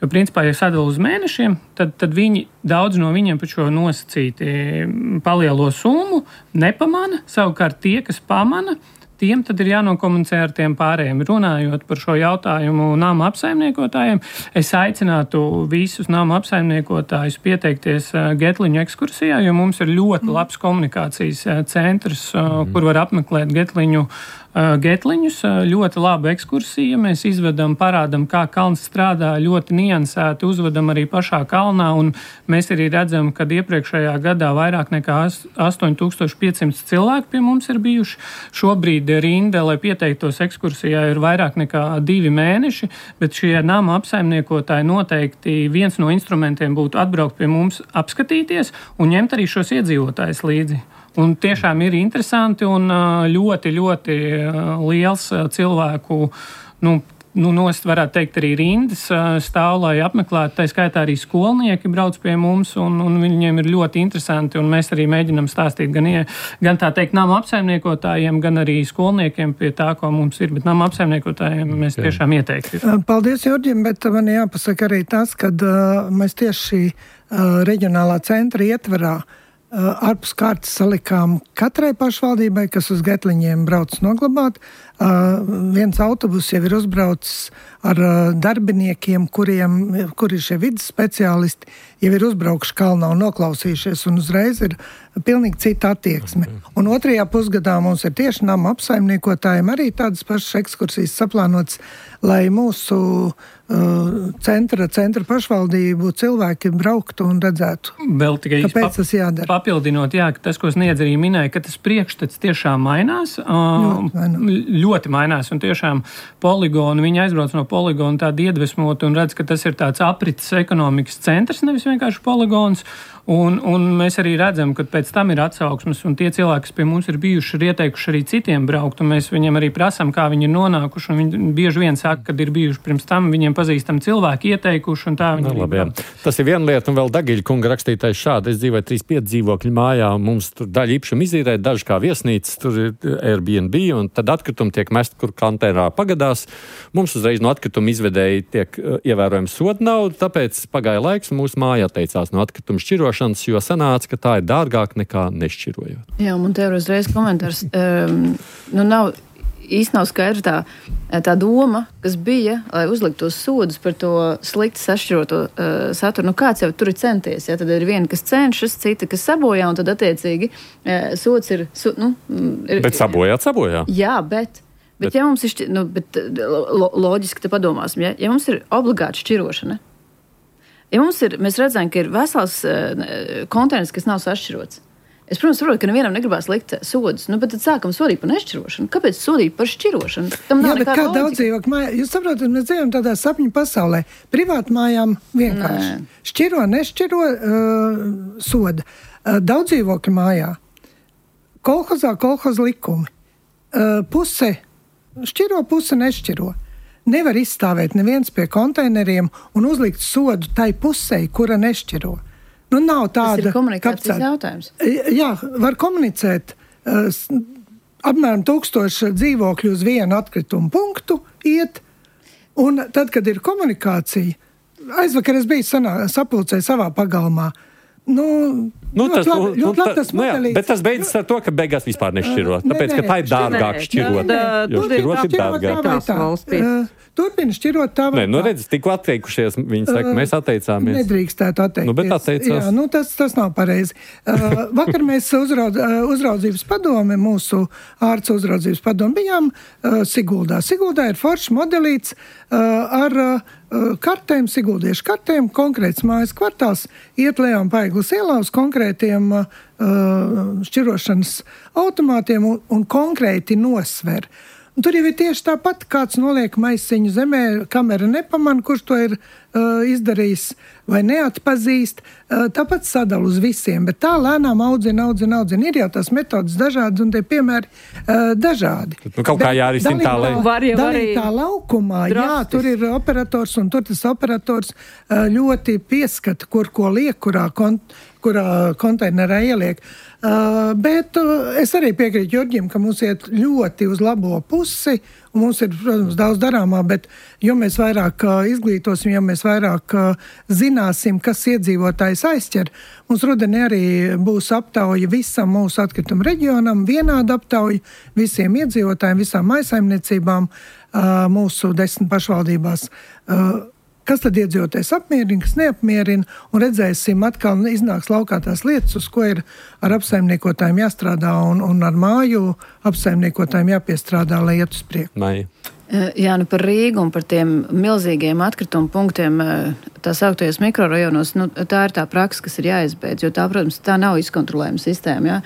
Jo, principā, ja sadala uz mēnešiem, tad, tad viņi, daudz no viņiem par šo nosacīti palielo summu nepamana. Savukārt tie, kas pamana, tiem tad ir jānokomunicē ar tiem pārējiem. Runājot par šo jautājumu nama apsaimniekotājiem, es aicinātu visus nama apsaimniekotājus pieteikties Getliņu ekskursijā, jo mums ir ļoti labs komunikācijas centrs, mm. kur var apmeklēt Getliņu Getliņus, ļoti laba ekskursija. Mēs izvedam, parādam, kā kalns strādā, ļoti niansēti, uzvedam arī pašā kalnā, un mēs arī redzam, ka iepriekšējā gadā vairāk nekā astoņi tūkstoši pieci simti cilvēki pie mums ir bijuši. Šobrīd rinda, lai pieteiktos ekskursijā, ir vairāk nekā divi mēneši, bet šie nama apsaimniekotāji noteikti viens no instrumentiem būtu atbraukt pie mums, apskatīties un ņemt arī šos iedzīvotājus līdzi. Un tiešām ir interesanti un ļoti, ļoti liels cilvēku, nu, nu nost varētu teikt arī rindas stāv, lai apmeklētu. Tā skaitā arī skolnieki brauc pie mums, un, un viņiem ir ļoti interesanti, un mēs arī mēģinam stāstīt gan, gan tā teikt nama apsaimniekotājiem, gan arī skolniekiem pie tā, ko mums ir, bet nama apsaimniekotājiem mēs tiešām ieteikti. Paldies, Jurģim, bet man jāpasaka arī tas, kad uh, mēs tieši šī uh, reģionālā centra ietverā Uh, ārpus kārtas salikām katrai pašvaldībai, kas uz Getliņiem brauc noglabāt. Uh, viens autobus jau ir uzbraucis ar uh, darbiniekiem, kuriem, kuri ir šie vidas speciālisti, jau ir uzbraukuši kalnā un noklausījušies, un uzreiz ir pilnīgi cita attieksme. Un otrajā pusgadā mums ir tieši nama apsaimniekotājiem arī tādas pašas ekskursijas saplānotas, lai mūsu uh, centra, centra pašvaldību cilvēki brauktu un redzētu. Vēl tikai kāpēc tas jādara? Papildinot, jā, ka tas, ko Sniedz arī minēja, ka tas priekšstats tiešām mainās. Ļoti mainās. Ļoti mainās, un tiešām poligonu, viņi aizbrauc no poligonu tādi iedvesmoti un redz, ka tas ir tāds aprits ekonomikas centrs, nevis vienkārši poligons. Un, un mēs arī redzam, ka pēc tam ir atsauksmes, un tie cilvēki, kas pie mums ir bijuši, ir ieteikuši arī citiem braukt, un mēs viņiem arī prasām, kā viņi ir nonākuši, un viņi bieži vien saka, kad ir bijuši pirms tam, viņiem pazīstami cilvēki ieteikuši un tā viņi nu, labi, tas ir viena lieta, un vēl Dagiļa kunga rakstītais šādi. Es dzīvoju trīs pieci dzīvokļu mājā, un mums tur daļa īpašumu izīrē, daži kā viesnīcas, tur ir Airbnb, un tad atkritumi tiek mest, kur konteinerā pagadās. Mums uzreiz no atkrituma izvedēji tiek uh, ievērojama soda nauda, tāpēc pagāja laiks, un mūsu māja atteicās no atkrituma šķirošanas, jo sanāca, ka tā ir dārgāk nekā nešķirojot. Jā, man te ir uzreiz komentārs. Um, nu nav... Īsti nav skaidra tā, tā doma, kas bija, lai uzliktu tos sodus par to slikti sašķiroto uh, saturu. Nu, kāds jau tur ir centies? Ja? Tad ir viena, kas cenšas, cita, kas sabojā, un tad attiecīgi uh, sods ir, su, nu, ir... Bet sabojāt, sabojā. Jā, bet... Bet, bet ja mums ir, šķi, nu, bet lo, loģiski te padomāsim, ja, ja mums ir obligāta šķirošana, ja mums ir, mēs redzam, ka ir vesels uh, konteiners, kas nav sašķirots, es, protams, saprotu, ka nevienam negribās likt sodus, nu, bet tad sākam sodīt par nešķirošanu. Kāpēc sodīt par šķirošanu? Tam nav Jā, bet kā daudz dzīvokļu mājā? Jūs saprotat, mēs dzīvojam tādā sapņu pasaulē. Privātu mājām vienkārši. Nē. Šķiro, nešķiro, uh, soda. Uh, daudz dzīvokļu mājā. Kolhozā, kolhoza likumi. Uh, puse šķiro, puse nešķiro. Nevar izstāvēt neviens pie konteineriem un uzlikt sodu tai pusei, kura nešķiro. Nu, nav tāda, tas ir komunikācijas jautājums. Jā, var komunicēt. Uh, apmēram tūkstoši dzīvokļu uz vienu atkritumu punktu iet, un tad, kad ir komunikācija, aizvakar es biju sanā, sapulcē savā pagalmā. Nu, nu, ļoti tas, labi, nu, ļoti labi tas nu, jā, bet tas beidzas ar to, ka beigās vispār nešķiro. Tāpēc, ka tā ir dārgāk šķirot. Jo šķirot ir dārgāk. Turpina šķirot tā vai tā. Nē, nu redz, tikko atteikušies, viņi saka, mēs atteicāmies. Nedrīkstētu atteikties. Nu, bet atteicās. Jā, nu tas, tas nav pareizi. Uh, vakar mēs uzraud, uh, uzraudzības padome, mūsu ārsts uzraudzības padome bijām uh, Siguldā. Siguldā ir foršs modelīts uh, ar uh, kartēm, siguldiešu kartēm, konkrēts mājas kvartāls, iet Leon Paiglas ielā uz konkrētiem uh, šķirošanas automātiem un, un konkrēti nosver. Un tur jau ir tieši tāpat, kāds noliek maisiņu zemē, kamera nepaman, kurš to ir uh, izdarījis vai neatpazīst. Uh, tāpat sadala uz visiem, bet tā lēnām audzina, audzina, audzina. Ir jau tās metodas dažādas un tie piemēri uh, dažādi. Nu, kaut kā jārisina tā, lai... Var jau arī tā laukumā, drastis. Jā, tur ir operators un tur tas operators uh, ļoti pieskata, kur ko liek, kurā, kont kurā konteinerā ieliek. Uh, bet uh, es arī piekrītu Jurģim, ka mums iet ļoti uz labo pusi, un mums ir, protams, daudz darāmā, bet jo mēs vairāk uh, izglītosim, jo mēs vairāk uh, zināsim, kas iedzīvotājs aizķer, mums rudenī arī būs aptauja visam mūsu atkritumu reģionam, vienāda aptauja visiem iedzīvotājiem, visām mājsaimniecībām uh, mūsu desmit pašvaldībās. Uh, Kas tad iedzīvotājs apmierina, kas neapmierina, un redzēsim, atkal iznāks laukā tās lietas, uz ko ir ar apsaimniekotājiem jāstrādā un, un ar māju apsaimniekotājiem jāpiestrādā, lai iet uz priekšu. Maija. Jā, nu par Rīgu un par tiem milzīgiem atkritumu punktiem tā sauktajos mikrorajonos, nu, tā ir tā praksa, kas ir jāizbeidz, jo tā, protams, tā nav izkontrolējuma sistēma. Ja?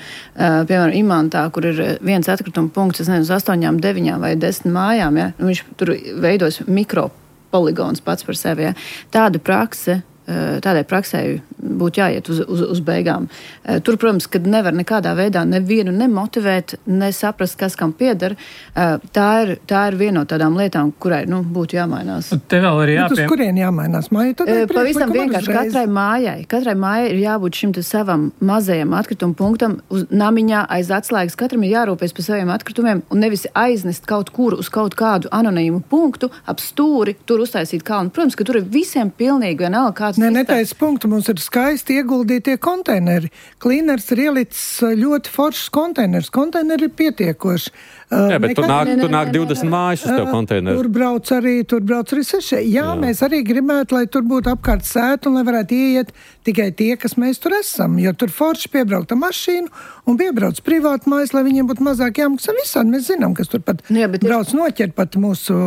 Piemēram, Imantā, kur ir viens atkrituma punkts, es nezinu, uz astoņām, deviņām vai desmit mājām, ja? Viņš tur veidos mikro poligons pats par sevi. Ja. Tāda prakse, tādai praksē būtu jāiet uz, uz, uz beigām. Tur, protams, kad nevar nekādā veidā nevienu nemotivēt, nesaprast, kas kam pieder, tā ir, tā ir viena no tādām lietām, kurai nu, būtu jāmainās. Te vēl ir jāpiem... Bet uz kurien jāmainās? Māja, Pavisam vienkārši katrai mājai. Katrai mājai ir jābūt šim savam mazajam atkritumu punktam uz namiņā aiz atslēgas. Katram ir jārūpēs par saviem atkritumiem un nevis aiznest kaut kur uz kaut kādu anonīmu punktu, ap stūri, tur uztaisīt kalnu. Protams, ka tur ir visiem pilnīgi vienalga kāds. Nē, netais punktu. Mums ir skaisti ieguldītie konteineri. Klīners ir ielicis ļoti foršs konteiners. Konteineri ir pietiekoši. Jā, bet nekad... tur nāk, tur nāk divdesmit mājas uz tev konteineru. Tur brauc arī, tur brauc arī seši. Jā, Jā, mēs arī gribētu, lai tur būtu apkārt sēta un lai varētu ieiet tikai tie, kas mēs tur esam. Jo tur forši piebraukta mašīnu un piebrauc privātu mājas, lai viņiem būtu mazāk jāmaksā visādi. Mēs zinām, kas tur pat Jā, brauc ir... noķert pat mūsu,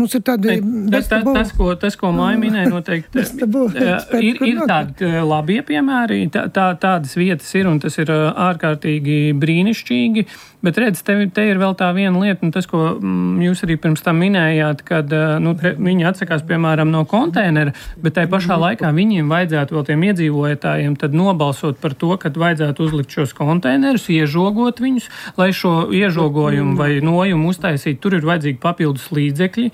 mums ir tādi... Tas, tas, tas, ko, tas, ko Māja minēja noteikti, ir, ir tādi labie piemēri, tā, tā, tādas vietas ir, un tas ir ārkārtīgi brīnišķīgi. Bet redz, te, te ir vēl tā viena lieta, un tas, ko mm, jūs arī pirms tam minējāt, kad nu, te, viņi atsakās, piemēram, no konteinera, bet tai pašā laikā viņiem vajadzētu vēl tiem iedzīvotājiem tad nobalsot par to, kad vajadzētu uzlikt šos konteinerus, iežogot viņus, lai šo iežogojumu vai nojumu uztaisīt, tur ir vajadzīgi papildus līdzekļi.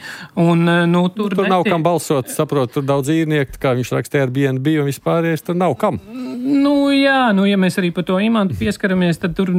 Un, nu, tur tur netiek... nav kam balsot, saprot, tur daudz īrnieki, kā viņš rakstīja ar B and B un vispārējais, tur nav kam. Nu, jā, nu, ja mēs arī par to imantu pieskaramies, tad tur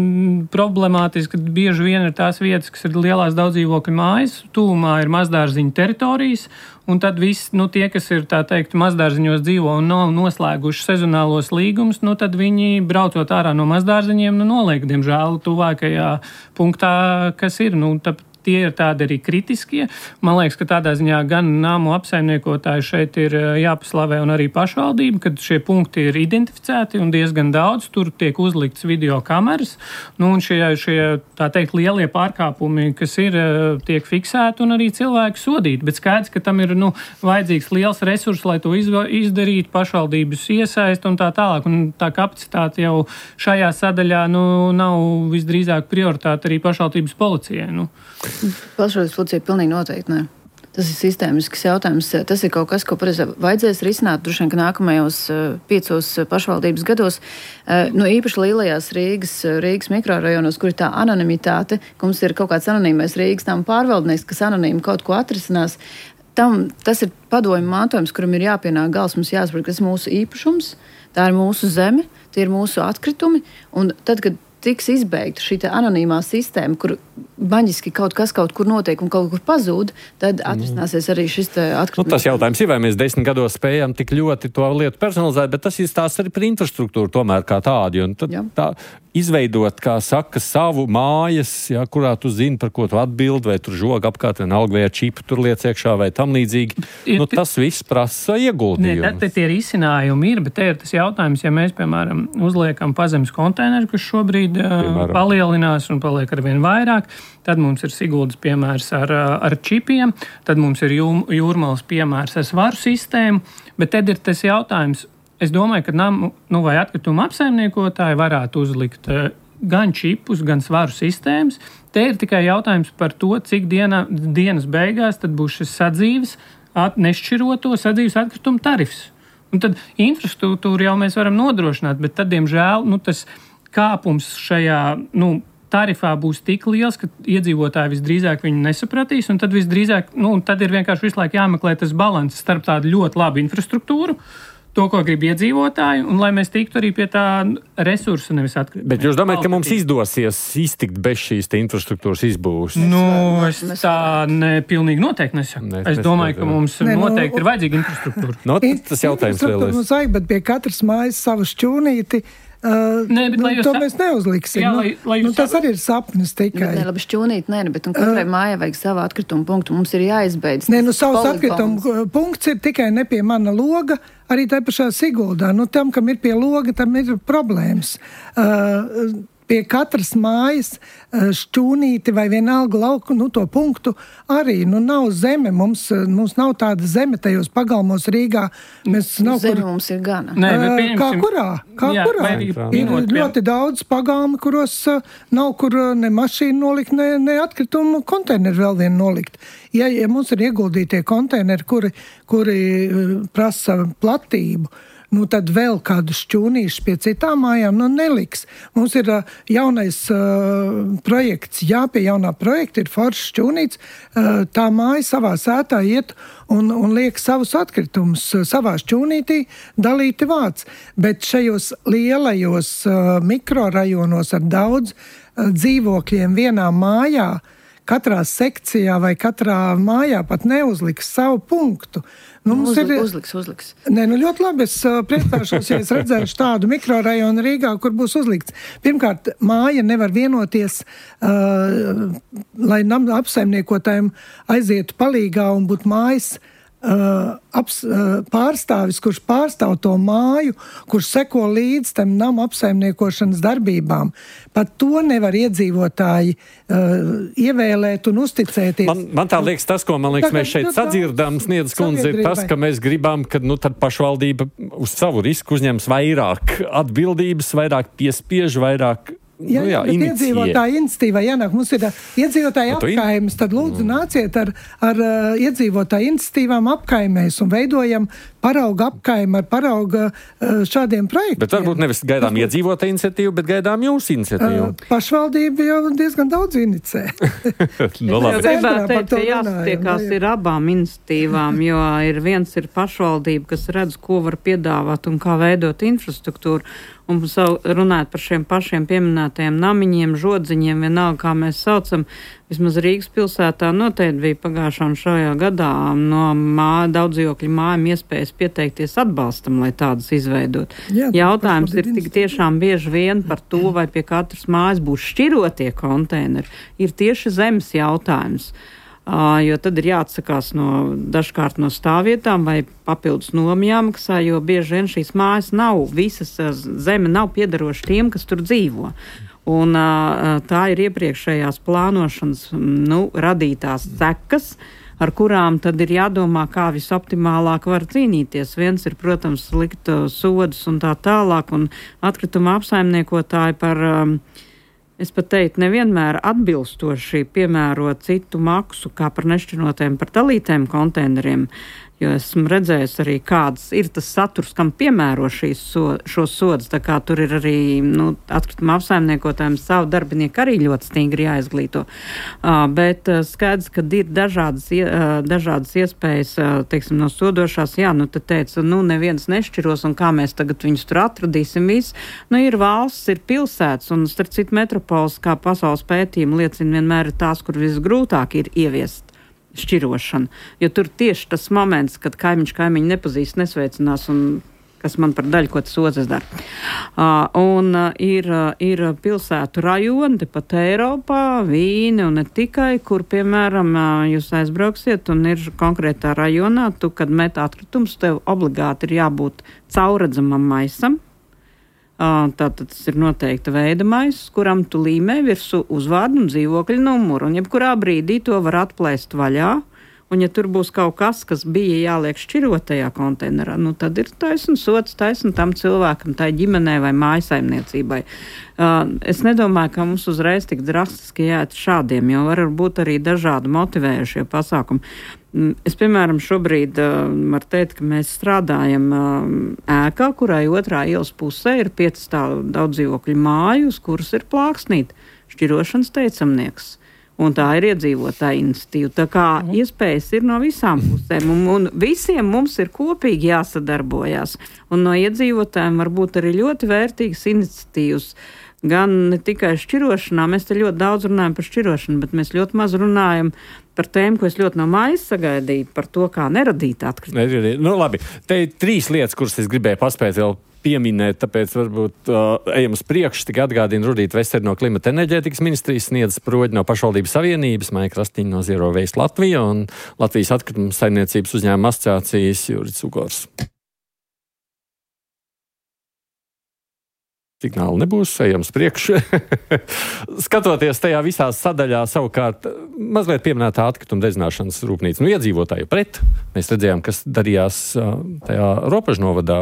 problemātiski, ka bieži vien ir tās vietas, kas ir lielās daudzdzīvokļu mājas, tūmā ir mazdārziņu teritorijas, un tad viss, nu, tie, kas ir, tā teikt, mazdārziņos dzīvo un nav noslēguši sezonālos līgumus, nu, tad viņi, braucot ārā no mazdārziņiem, nu, noliek, diemžēl, tuvākajā punktā, kas ir, nu, tā, tie ir tādi arī kritiskie. Man liekas, ka tādā ziņā gan nāmu apsaimniekotāji šeit ir jāpaslavē un arī pašvaldība, kad šie punkti ir identificēti un diezgan daudz. Tur tiek uzlikts video kameras. Nu, un šie, šie, tā teikt, lielie pārkāpumi, kas ir, tiek fiksēti un arī cilvēki sodīti. Bet skaidrs, ka tam ir, nu, vajadzīgs liels resurss, lai to izdarītu, pašvaldības iesaist un tā tālāk. Un tā kapacitāte jau šajā sadaļā, nu, nav visdrīzāk prioritāte arī pašvaldības policijai, nu. Pašvaldības policija pilnīgi noteikti, ne. Tas ir sistēmisks jautājums. Tas ir kaut kas, ko pareizi vajadzēs risināt droši vien, ka nākamajos piecos pašvaldības gados, nu īpaši lielajās Rīgas, Rīgas mikrorajonos, kur ir tā anonimitāte, ka mums ir kaut kāds anonīmais Rīgas tām pārvaldnieks, kas anonīmi kaut ko atrisinās. Tam, tas ir padomju mantojums, kuram ir jāpienāk gals, mums jāsaprot, kas ir mūsu īpašums, tā ir mūsu zeme, tie ir mūsu atkritumi, un tad, kad tiks izbeigta šī anonīmā sistēma, kur baņiski kaut kas kaut kur notiek un kaut kur pazūd, tad atrisināsies arī šis atkritums. Nu, tas jautājums ir, vai mēs desmit gados spējam tik ļoti to lietu personalizēt, bet tas ir stāsts arī par infrastruktūru tomēr kā tādu. Un tad tā izveidot, kā saka, savu mājas, jā, kurā tu zini, par ko tu atbildi, vai tur žoga apkārt, vienalga, vai ar čipu tur liec iekšā, vai tam līdzīgi. Nu, tas viss prasa ieguldījumu. Nē, te tie risinājumi ir, bet te ir tas jautājums, ja mēs, piemēram, uzliekam pazemes konteineru, kas šobrīd piemēram palielinās un paliek arvien vairāk, tad mums ir Siguldas piemērs ar, ar čipiem, tad mums ir Jūrmalas piemērs ar svaru sistēmu, bet tad ir tas jautājums, es domāju, ka nam, nu, vai atkrituma apsaimniekotāji varētu uzlikt gan čipus, gan svaru sistēmas. Te ir tikai jautājums par to, cik diena, dienas beigās tad būs šis sadzīves, at, nešķiroto sadzīves atkrituma tarifs. Un tad infrastruktūru jau mēs varam nodrošināt, bet tad, diemžēl, nu, tas kāpums šajā, nu, tarifā būs tik liels, ka iedzīvotāji visdrīzāk viņu nesapratīs, un tad visdrīzāk, nu, tad ir vienkārši visu laiku jāmeklē tas balans starp tādu ļoti labu infrastruktūru, to, ko grib iedzīvotāji, un lai mēs tiktu arī pie tā resursa, nevis atkrīt. Bet jūs domājat, ka mums izdosies iztikt bez šīs infrastruktūras izbūves? Nu, es tā ne, pilnīgi noteikti nesaku. Ne, es domāju, ka mums ne, noteikti nu, ir vajadzīga infrastruktūra. No, tas jautājums vēl ir. Mums vajag, bet pie katras mājas savu šķūnīti. Uh, nē, bet, nu, to mēs neuzliksim. Jā, lai, lai nu, tas arī ir sapnis tikai. Bet, ne, labi, šķūnīt, nē, bet un katrai uh, mājai vajag savu atkritumu punktu. Mums ir jāizbeidz. Nē, nu, savs atkritumu punkts ir tikai ne pie mana loga, arī tā pašā Siguldā. Nu, tam, kam ir pie loga, tam ir problēmas. Uh, Pie katras mājas šķūnīti vai vienalga lauku, nu, to punktu arī, nu, nav zeme. Mums, mums nav tāda zeme tajos pagalmos Rīgā. Mēs nav zeme kur... mums ir gana. Nē, uh, kā kurā? Kā jā, kurā? Ir ļoti daudz pagalmi, kuros uh, nav kur ne mašīnu nolikt, ne, ne atkritumu konteineru vēl vien nolikt. Ja, ja mums ir ieguldītie konteineri, kuri, kuri uh, prasa platību, nu tad vēl kādu šķūnīšu pie citām mājām, nu neliks. Mums ir uh, jaunais uh, projekts, jā, pie jaunā projekta ir foršs šķūnīts, uh, tā māja savā sētā iet un, un liek savus atkritumus uh, savā šķūnītī dalīti vāc. Bet šajos lielajos uh, mikrorajonos ar daudz uh, dzīvokļiem vienā mājā, katrā sekcijā vai katrā mājā pat neuzliks savu punktu. Nu, mums Uzlik, ir, uzliks, uzliks. Nē, nu ļoti labi, es uh, priecāšos, ja es redzēšu tādu mikrorajonu Rīgā, kur būs uzlikts. Pirmkārt, māja nevar vienoties, uh, lai apsaimniekotājiem aizietu palīgā un būtu mājas uh, aps, uh, pārstāvis, kurš pārstāv to māju, kurš seko līdz tam nama apsaimniekošanas darbībām. Pat to nevar iedzīvotāji uh, ievēlēt un uzticēties. Man, man tā liekas tas, ko man liekas, Tagad, mēs šeit nu, sadzirdam, Sniedzas kundze, ir tas, ka mēs gribam, ka nu, tad pašvaldība uz savu risku uzņems vairāk atbildības, vairāk piespiež, vairāk. Jā, nu, jā, bet iedzīvotāja iniciatīvā jānāk. Mums ir iedzīvotāja apkaimes, tad lūdzu nāciet ar, ar uh, iedzīvotāja iniciatīvām apkaimēs un veidojam parauga apkaimi ar parauga uh, šādiem projektiem. Bet varbūt nevis gaidām iedzīvotāja iniciatīvu, bet gaidām jūsu iniciatīvu. Uh, pašvaldība jau diezgan daudz inicē. no, Es gribētu teikt, ka jāsatiekās ir abām iniciatīvām, jo ir viens ir pašvaldība, kas redz, ko var piedāvāt un kā veidot infrastruktūru. Un savu, runājot par šiem pašiem pieminētajiem namiņiem, žodziņiem, vienalga, kā mēs saucam, vismaz Rīgas pilsētā noteikti bija pagājušā un šajā gadā no mā, daudzdzīvokļu mājām iespējas pieteikties atbalstam, lai tādas izveidot. Jā, Jautājums ir tik tiešām bieži vien par to, vai pie katras mājas būs šķirotie konteineri, ir tieši zemes jautājums. Uh, jo tad ir jāatsakās no, dažkārt no stāvvietām vai papildus nomu jāmaksā, jo bieži vien šīs mājas nav, visas uh, zeme nav piederoša tiem, kas tur dzīvo. Un uh, tā ir iepriekšējās plānošanas nu, radītās sekas, ar kurām tad ir jādomā, kā visoptimālāk var cīnīties. Viens ir, protams, likt uh, sodus un tā tālāk, un atkrituma apsaimniekotāji par... Um, Es pat teiktu, nevienmēr atbilstoši piemērot citu maksu, kā par nešķirotiem, par dalītiem konteineriem, jo esmu redzējis arī, kāds ir tas saturs, kam piemēro šīs so, šos sodus, tā kā tur ir arī, nu, atkrituma apsaimniekotājiem savu darbinieku arī ļoti stingri jāizglīto. Uh, bet uh, skaidrs, ka ir dažādas, uh, dažādas iespējas, uh, teiksim, no sodošās, jā, nu, tad teica, nu, neviens nešķiros, un kā mēs tagad viņus tur atradīsim visu. Nu, ir valsts, ir pilsētas, un starp citu metropoles, kā pasaules pētījumi liecina, vienmēr ir tās, kur visgrūtāk ir ieviest šķirošana, jo tur tieši tas moments, kad kaimiņš kaimiņu nepazīst, nesveicinās un kas man par daļu, ko tas otrs dara. Uh, un uh, ir, uh, ir pilsētu rajoni, tepat Eiropā, Vīni un ne tikai, kur, piemēram, uh, jūs aizbrauksiet un ir konkrētā rajonā, tu, kad met atkritums, tev obligāti ir jābūt caurredzamam maisam. Tātad tas ir noteikta veida maiss, kuram tu līmē virsū uzvārdu un dzīvokļa numuru, un jebkurā brīdī to var atplēst vaļā, un ja tur būs kaut kas, kas bija jāliek šķirotajā konteinerā, nu tad ir taisn sots, taisn tam cilvēkam, tai ģimenei vai mājasaimniecībai. Uh, es nedomāju, ka mums uzreiz tik drastiski jāiet šādiem, jo var būt arī dažādi motivējušie pasākumi. Es, piemēram, šobrīd uh, varu teikt, ka mēs strādājam uh, ēkā, kurai otrā ielas pusē ir pieci stāvu daudzdzīvokļu māju, uz kuras ir plāksnīt šķirošanas teicamnieks. Un tā ir iedzīvotāja iniciatīva. Tā kā mm. iespējas ir no visām pusēm, un, un visiem mums ir kopīgi jāsadarbojās. Un no iedzīvotājiem var būt arī ļoti vērtīgas iniciatīvas. Gan ne tikai šķirošanā, mēs te ļoti daudz runājam par šķirošanu, bet mēs ļoti maz runājam par tēmu, ko es ļoti no mājas sagaidīju, par to, kā neradīt atkritumus. Nu, labi, te ir trīs lietas, kuras es gribēju paspēt vēl pieminēt, tāpēc varbūt uh, ejam uz priekšu, tikai atgādina Rudīta Vestere no Klimata enerģētikas ministrijas, Sniedzas Proģi no Pašvaldības savienības, Maija Krastiņa no Zero Waste Latvija un Latvijas atkrituma saimniecības uzņēmuma asociācijas Juris Ugors. Signāli nebūs, ejam uz priekšu. Skatoties tajā visā sadaļā, savukārt mazliet pieminētā atkrituma dedzināšanas rūpnīca. Nu, iedzīvotāji pret. Mēs redzējām, kas darījās tajā Ropažnovadā.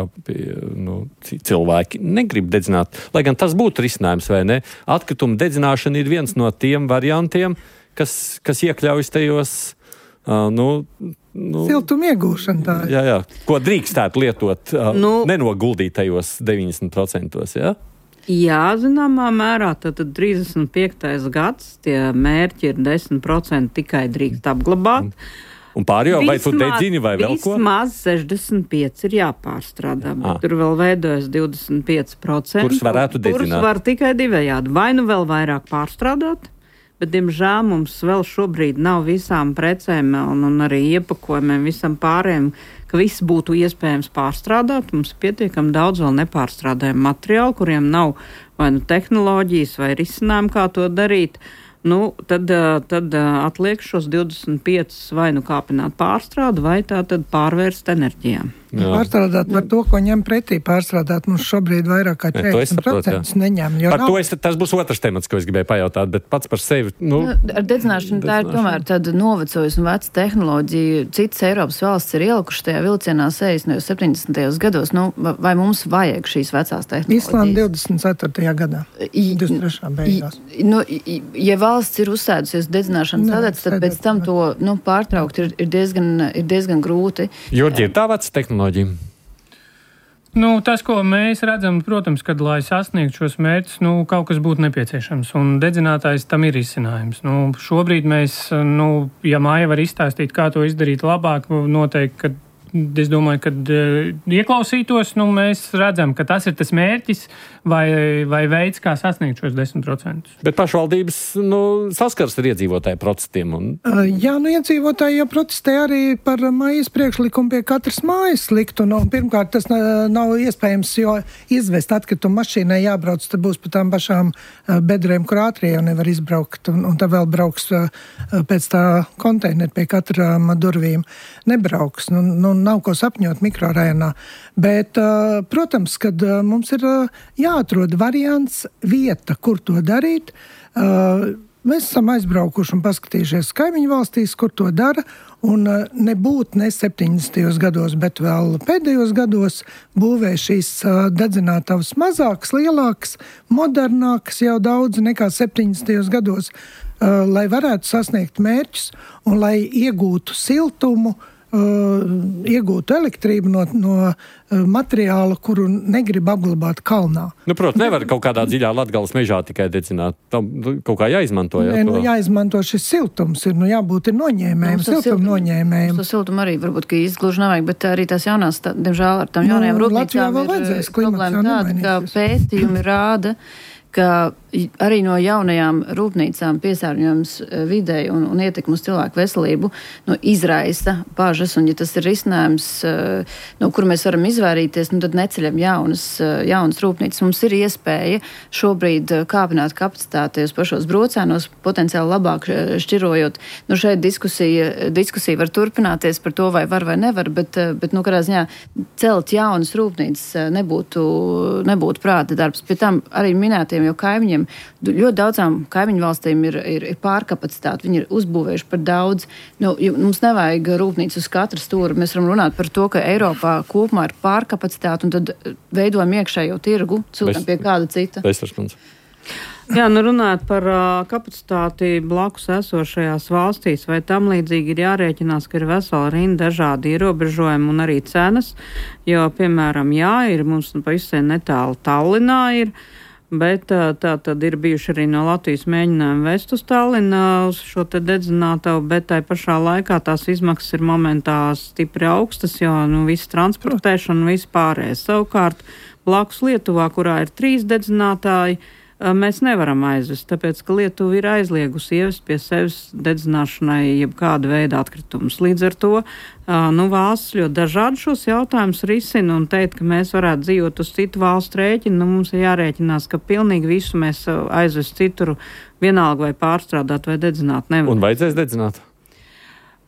Nu, cilvēki negrib dedzināt, lai gan tas būtu risinājums, vai ne? Atkrituma dedzināšana ir viens no tiem variantiem, kas, kas iekļaujas tajos, uh, nu, Nu, siltuma iegūšana tā ir. Jā, jā. Ko drīkstētu lietot uh, nu, nenoguldītajos deviņdesmit procentos, jā? Jā, zināmā mērā, tad trīsdesmit piektais gads, tie mērķi ir desmit procenti tikai drīkst apglabāt. Un pārējo, vai tu dedzini vai vēl ko? Vismaz sešdesmit pieci ir jāpārstrādā, bet ah. tur vēl veidojas divdesmit pieci procenti. Kurus varētu dedzināt? Kurus var tikai divējādi. Vai nu vēl vairāk pārstrādāt? Bet, diemžēl, mums vēl šobrīd nav visām precēm un, un arī iepakojumiem, visam pārējiem, ka viss būtu iespējams pārstrādāt. Mums pietiekam daudz vēl nepārstrādājumu materiālu, kuriem nav vai nu tehnoloģijas vai risinājumu, kā to darīt. nu, tad, tad atliek šos divdesmit piecus vai nu kāpināt pārstrādu, vai tā tad pārvērst enerģijā. Jā. Pārstrādāt par to, ko ņem pretī pārstrādāt. Mums šobrīd vairāk kā četrdesmit procenti neņem. Par nav... to es, tas būs otrs temats, ko es gribēju pajautāt, bet pats par sevi. Nu, nu, ar dedzināšanu tā ir tomēr tāda novecojusi un veca tehnoloģija. Citas Eiropas valsts ir ielikuši tajā vilcienā sešdesmitajos, septiņdesmitajos gados. Nu, vai mums vajag šīs vecās tehnoloģijas? Islanda divdesmit ceturtajā gadā. divdesmit trešā beigās. Nu, ja valsts ir uzsēdusies dedzināšanas sadedz, tad pēc tam to nu, pārtraukt ir, ir, diezgan, ir diezgan grūti. Jurģi, ir tā veca tehnoloģija? Nu, tas, ko mēs redzam, protams, kad, lai sasniegtu šos mērķus, nu, kaut kas būtu nepieciešams, un dedzinātājs tam ir izcinājums. Nu, šobrīd mēs, nu, ja Maija var izstāstīt, kā to izdarīt labāk, noteikti, ka es domāju, ka uh, ieklausītos, nu, mēs redzam, ka tas ir tas mērķis vai, vai veids, kā sasniegt šos desmit procentus. Bet pašvaldības nu, saskars ar iedzīvotāju protestiem. Un... Uh, jā, nu iedzīvotāji jau protestē arī par Maijas priekšlikumu pie katras mājas likt. Un, un pirmkārt, tas nav iespējams, jo izvest atkritumu mašīnai jābrauc, tad būs pa tām pašām uh, bedrēm, kur ātrie jau nevar izbraukt. Un, un tad vēl brauks uh, pēc tā konteinera pie katrām durvīm. Nebrauks. Nu, nu, nav ko sapņot mikrorajonā. Bet, uh, protams, kad uh, mums ir uh, jāatrod variants, vieta, kur to darīt. Uh, mēs esam aizbraukuši un paskatījušies kaimiņu valstīs, kur to dara, un uh, nebūt ne septiņdesmitajos gados, bet vēl pēdējos gados būvē šīs uh, dedzinātavas mazākas, lielākas, modernākas jau daudz nekā septiņdesmitajos gados, uh, lai varētu sasniegt mērķus un lai iegūtu siltumu, Uh, iegūtu elektrību no, no uh, materiāla, kuru negrib apglabāt kalnā. Nu, protams, nevar kaut kādā dziļā Latgales mežā tikai dedzināt. Tam kaut kā jāizmanto. Jā, Nē, nu, jāizmanto šis siltums. Ir, nu, jābūt ir noņēmējiem, siltum noņēmējiem. To siltumu arī varbūt, ka izgluži nevajag, bet arī tās jaunās, tā, diemžēl ar tām jaunajām nu, rūpnīcām ir problēma tāda, ka pētījumi rāda, ka arī no jaunajām rūpnīcām piesārņojums videi un, un ietekmi uz cilvēku veselību nu, izraisa bažas, un ja tas ir risinājums, no kur mēs varam izvairīties, nu, tad neceļam jaunas, jaunas rūpnīcas. Mums ir iespēja šobrīd kāpināt kapacitāti uz pašos brocēnos, potenciāli labāk šķirojot. Nu, šeit diskusija, diskusija var turpināties par to, vai var vai nevar, bet, bet nu, kādā ziņā celt jaunas rūpnīcas nebūtu, nebūtu prāta darbs. Pie tam arī minētiem jau kaimiņiem ļoti daudzām kaimiņu valstīm ir, ir, ir pārkapacitāte. Viņi ir uzbūvējuši par daudz. Nu, mums nevajag rūpnīcu uz katru stūri. Mēs varam runāt par to, ka Eiropā kopumā ir pārkapacitāte, un tad veidojam iekšējo tirgu, ciltam pie kāda cita. Jā, nu runājot par uh, kapacitāti blakus esošajās valstīs, vai tam līdzīgi ir jārēķinās, ka ir vesela rinda dažādi ierobežojumi un arī cenas, jo, piemēram, jā, ir mums pavisam netālu Tallinā ir, bet tā tad ir bijuši arī no Latvijas mēģinājumi vest uz Tallinu uz šo te dedzinātavu, bet tai pašā laikā tās izmaksas ir momentā stipri augstas, jo nu, viss transportēšana un viss pārējais. Savukārt, blakus Lietuvā, kurā ir trīs dedzinātāji, mēs nevaram aizvest, tāpēc, ka Lietuva ir aizliegusi ievest pie sevis dedzināšanai jebkāda veida atkritumus. Līdz ar to nu, valsts ļoti dažādi šos jautājumus risina un teikt, ka mēs varētu dzīvot uz citu valstu rēķinu, nu, mums ir jārēķinās, ka pilnīgi visu mēs aizvest cituru vienalga vai pārstrādāt vai dedzināt nevar. Un vajadzēs dedzināt?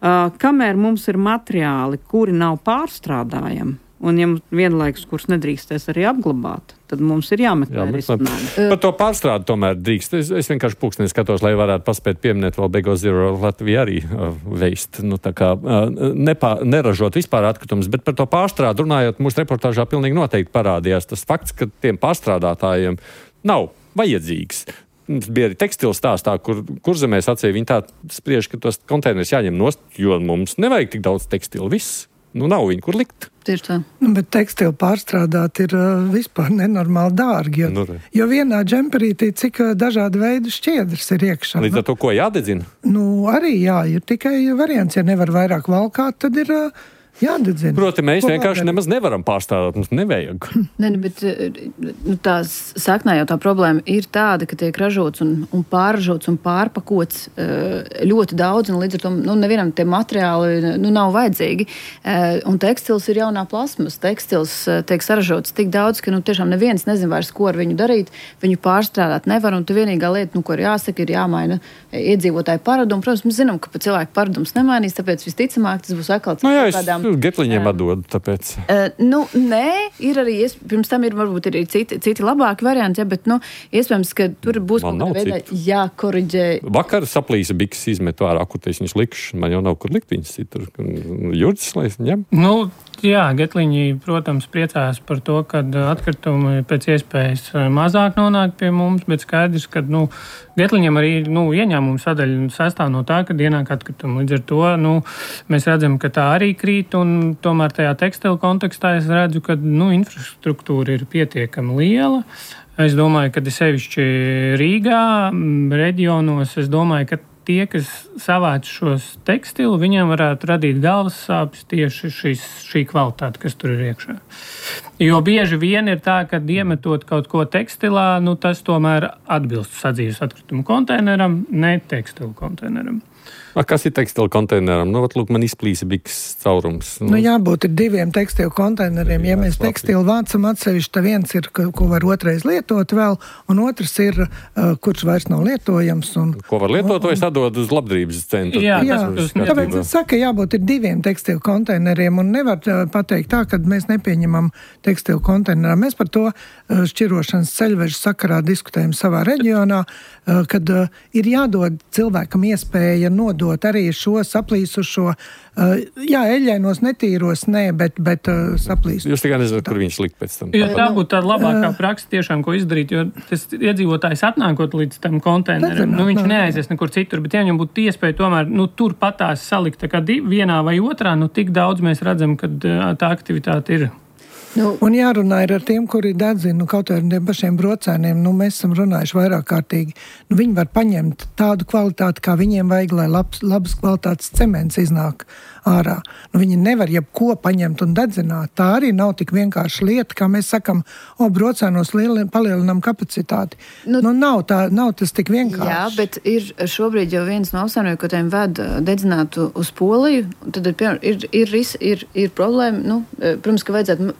Uh, kamēr mums ir materiāli, kuri nav pārstrādājami, un ja vienlaikus, kurus nedrīkstēs arī apglabāt, tad mums ir jāmeklē risinājumi. Par to pārstrādi tomēr drīkst. Es, es vienkārši pulksteni skatos, lai varētu paspēt pieminēt vēl Bego Zero Latviju arī uh, veist. Nu, tā kā uh, nepā, neražot vispār atkritumus, bet par to pārstrādi runājot, mūsu reportāžā pilnīgi noteikti parādījās tas fakts, ka tiem pārstrādātājiem nav vajadzīgs. Mums bija arī tekstila stāstā, kur, kur zemē sacīja, viņi tā spriež, ka tos konteinerus jāņem nost, jo mums nevajag tik daudz tekstila. Viss. Nu, nav viņu, kur likt. Tieši tā. Nu, bet tekstilu pārstrādāt ir uh, vispār nenormāli dārgi, jo, Nu, jo vienā džemperītī cik uh, dažādu veidu šķiedras ir iekšā. Līdz ar to, ko jādedzina? Nu, arī jā, ir tikai variants, ja nevar vairāk valkāt, tad ir uh, jādedzina. Proti, mēs Ko vienkārši var nemaz nevaram pārstrādāt, mums nevajag. Ne, bet nu, tā saknā jau tā problēma ir tāda, ka tiek ražots un, un pārražots un pārpakots ļoti daudz, un līdz ar to nu, nevienam tie materiāli nu, nav vajadzīgi. Un tekstils ir jaunā plasmas. Tekstils tiek saražots tik daudz, ka nu, tiešām neviens nezin vairs, ko ar viņu darīt. Viņu pārstrādāt nevar, un tu vienīgā lieta, nu, ko ir jāsaka, ir jāmaina iedzīvotāju paradumu. Protams, mēs zinām, ka pa cilvēku paradums nemainīs, tāpēc visticamāk tas būs atkal no jā, kādām... Getliņiem atdodu, tāpēc. Uh, nu, nē, ir arī, pirms tam ir varbūt arī citi, citi labāki varianti, ja, bet, nu, iespējams, ka tur būs kaut kādā veidā jākoriģē. Vakar saplīsa biks izmetu ārā, kur te viņas likšu, man jau nav kur likt viņas citur. Jurdzis, lai es ņem? Nu, jā, Getliņi, protams, priecājas par to, ka atkritumi pēc iespējas mazāk nonāk pie mums, bet skaidrs, ka, nu, Getliņiem arī, nu, ieņēmumu sadaļa sastāv no tā, ka ienāk atkritumi. Līdz ar to, nu, mēs redzam, ka tā arī krīt, un tomēr tajā tekstilu kontekstā es redzu, ka, nu, infrastruktūra ir pietiekami liela. Es domāju, ka sevišķi Rīgā, reģionos, es domāju, ka tie, kas savāc šos tekstilu, viņiem varētu radīt galvas sāpes tieši šis, šī kvalitāte, kas tur ir iekšā. Jo bieži vien ir tā, ka iemetot kaut ko tekstilā, nu, tas tomēr atbilst sadzīves atkritumu konteineram, ne tekstilu konteineram. A, kas ir tekstilu konteineram? Nu, vat, lūk, man izplīsa biks caurums. Nu, jābūt ir diviem tekstilu konteineriem. Ja mēs tekstilu vācam atsevišķi, tad viens ir, ko var otrais lietot vēl, un otrs ir, uh, kurš vairs nav lietojams. Un, ko var lietot, to es atdodu uz labdarības centru. Jā, jā, tas, tas tāpēc es saku, jābūt ir diviem tekstilu konteineriem, un nevar uh, pateikt tā, ka mēs nepieņemam tekstilu konteinerā. Mēs par to uh, šķirošanas ceļvežu sakarā diskutējam savā reģionā, uh, kad uh, ir jādod cilvēkam iespēja nodot arī šo saplīsušo, uh, jā, eļļainos netīros, nē, bet, bet uh, saplīsušo. Jūs tikai nezināt, kur viņš likt pēc tam. Jo tā būtu tāda labākā praksa tiešām, ko izdarīt, jo tas iedzīvotājs atnākot līdz tam konteineram, nu viņš neaizies nekur citur, bet ja viņam būtu iespēja tomēr, nu tur patās salikt tā kā vienā vai otrā, nu tik daudz mēs redzam, ka tā aktivitāte ir. Nu, un jārunā ir ar tiem, kuri dedzina, nu, kaut ar tiem pašiem brocēniem, nu, mēs esam runājuši vairāk kārtīgi. Nu, viņi var paņemt tādu kvalitāti, kā viņiem vajag, lai labs, labas kvalitātes cements iznāk ārā. Nu, viņi nevar jebko paņemt un dedzināt. Tā arī nav tik vienkārši lieta, kā mēs sakam, o, brocēnos lieli, palielinām kapacitāti. Nu, nu nav, tā, nav tas tik vienkārši. Jā, bet ir šobrīd jau viens no apsaimniekotājiem ved dedzināt uz Poliju, tad ir, ir, ir, ir, ir problēma, nu, protams, ka vajadzētu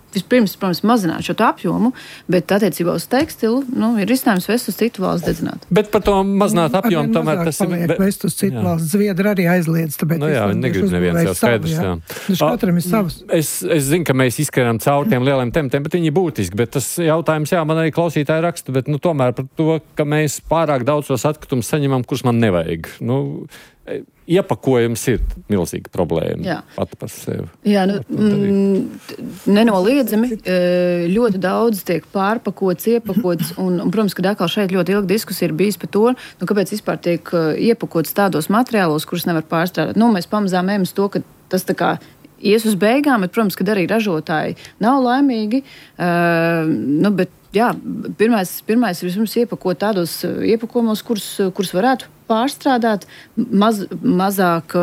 vispirms, protams, mazināt šo apjomu, bet attiecībā uz tekstilu, nu, ir risinājums vest uz citu valsts dedzināt. Bet par to mazināt apjomu tomēr tas ir... Paliek vest uz citu jā. Valsts. Zviedri arī aizliedz, tāpēc... Nu jā, viņi negrib neviens jau skaidrs, jā. Taču katram ir savs. Es, es zinu, ka mēs izskatām caur tiem lieliem tematiem, bet viņi ir būtiski, bet tas jautājums, jā, man arī klausītāji raksta, bet, nu, tomēr par to, ka mēs pārāk daudz tos atkritumus saņemam, kurus man nevajag. Nu, iepakojums ir milzīga problēma. Jā. Pat par sevi. Jā, nu, mm, nenoliedzami ļoti daudz tiek pārpakots, iepakots, un, un protams, ka atkal šeit ļoti ilga diskusija ir bijis par to, nu, kāpēc vispār tiek iepakots tādos materiālos, kurus nevar pārstrādāt. Nu, mēs pamazām ejam uz to, ka tas tā kā ies uz beigām, bet, protams, ka arī ražotāji nav laimīgi, uh, nu, bet jā, pirmais, pirmais ir vispirms iepakot tādos iepakojumos, kurus, kurus varētu pārstrādāt, maz, mazāk,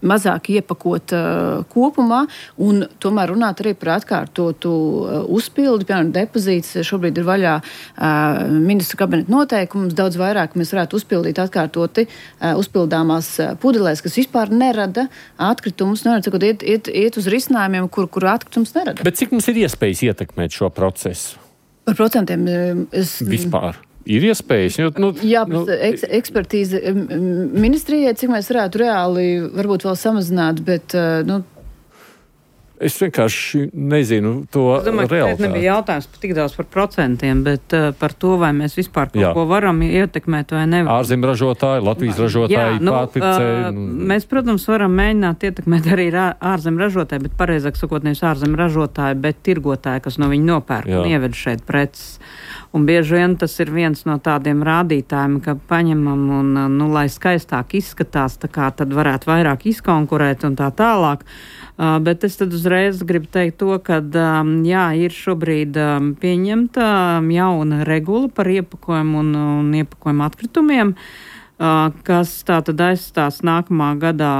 mazāk iepakot uh, kopumā, un tomēr runāt arī par atkārtotu uh, uzpildi, piemēram, depozīts. Šobrīd ir vaļā uh, ministru kabineta noteikums, daudz vairāk mēs varētu uzpildīt atkārtoti uh, uzpildāmās uh, pudelēs, kas vispār nerada atkritumus, nerada, sakot, iet, iet, iet uz risinājumiem, kur, kur atkritums nerada. Bet cik mums ir iespējas ietekmēt šo procesu? Par procentiem es... Vispār. Ir iespējas? Jo, nu, Jā, nu, eks, ekspertīze ministrijai, cik mēs varētu reāli varbūt vēl samazināt, bet, nu, es vienkārši nezinu to realitāti. Es domāju, ka šeit nebija jautājums tik daudz par procentiem, bet uh, par to, vai mēs vispār kaut Jā. Ko varam ietekmēt vai nevaram. Ārzem ražotāji, Latvijas ražotāji, Jā, nu, pārpircēji. Uh, mēs, protams, varam mēģināt ietekmēt arī ārzem ražotāji, bet pareizāk sakot, nevis ārzem ražotāji, bet tirgotāji, kas no viņi nopērk Jā. Un ieved šeit preces. Un bieži vien tas ir viens no tādiem rādītājiem, ka paņemam un, nu, lai skaistāk izskatās, tā kā tad varētu vairāk izkonkurēt un tā tālāk. Uh, bet es tad uzreiz gribu teikt to, ka um, jā, ir šobrīd um, pieņemta um, jauna regula par iepakojumu un, un iepakojumu atkritumiem, uh, kas tā tad aizstās nākamā gadā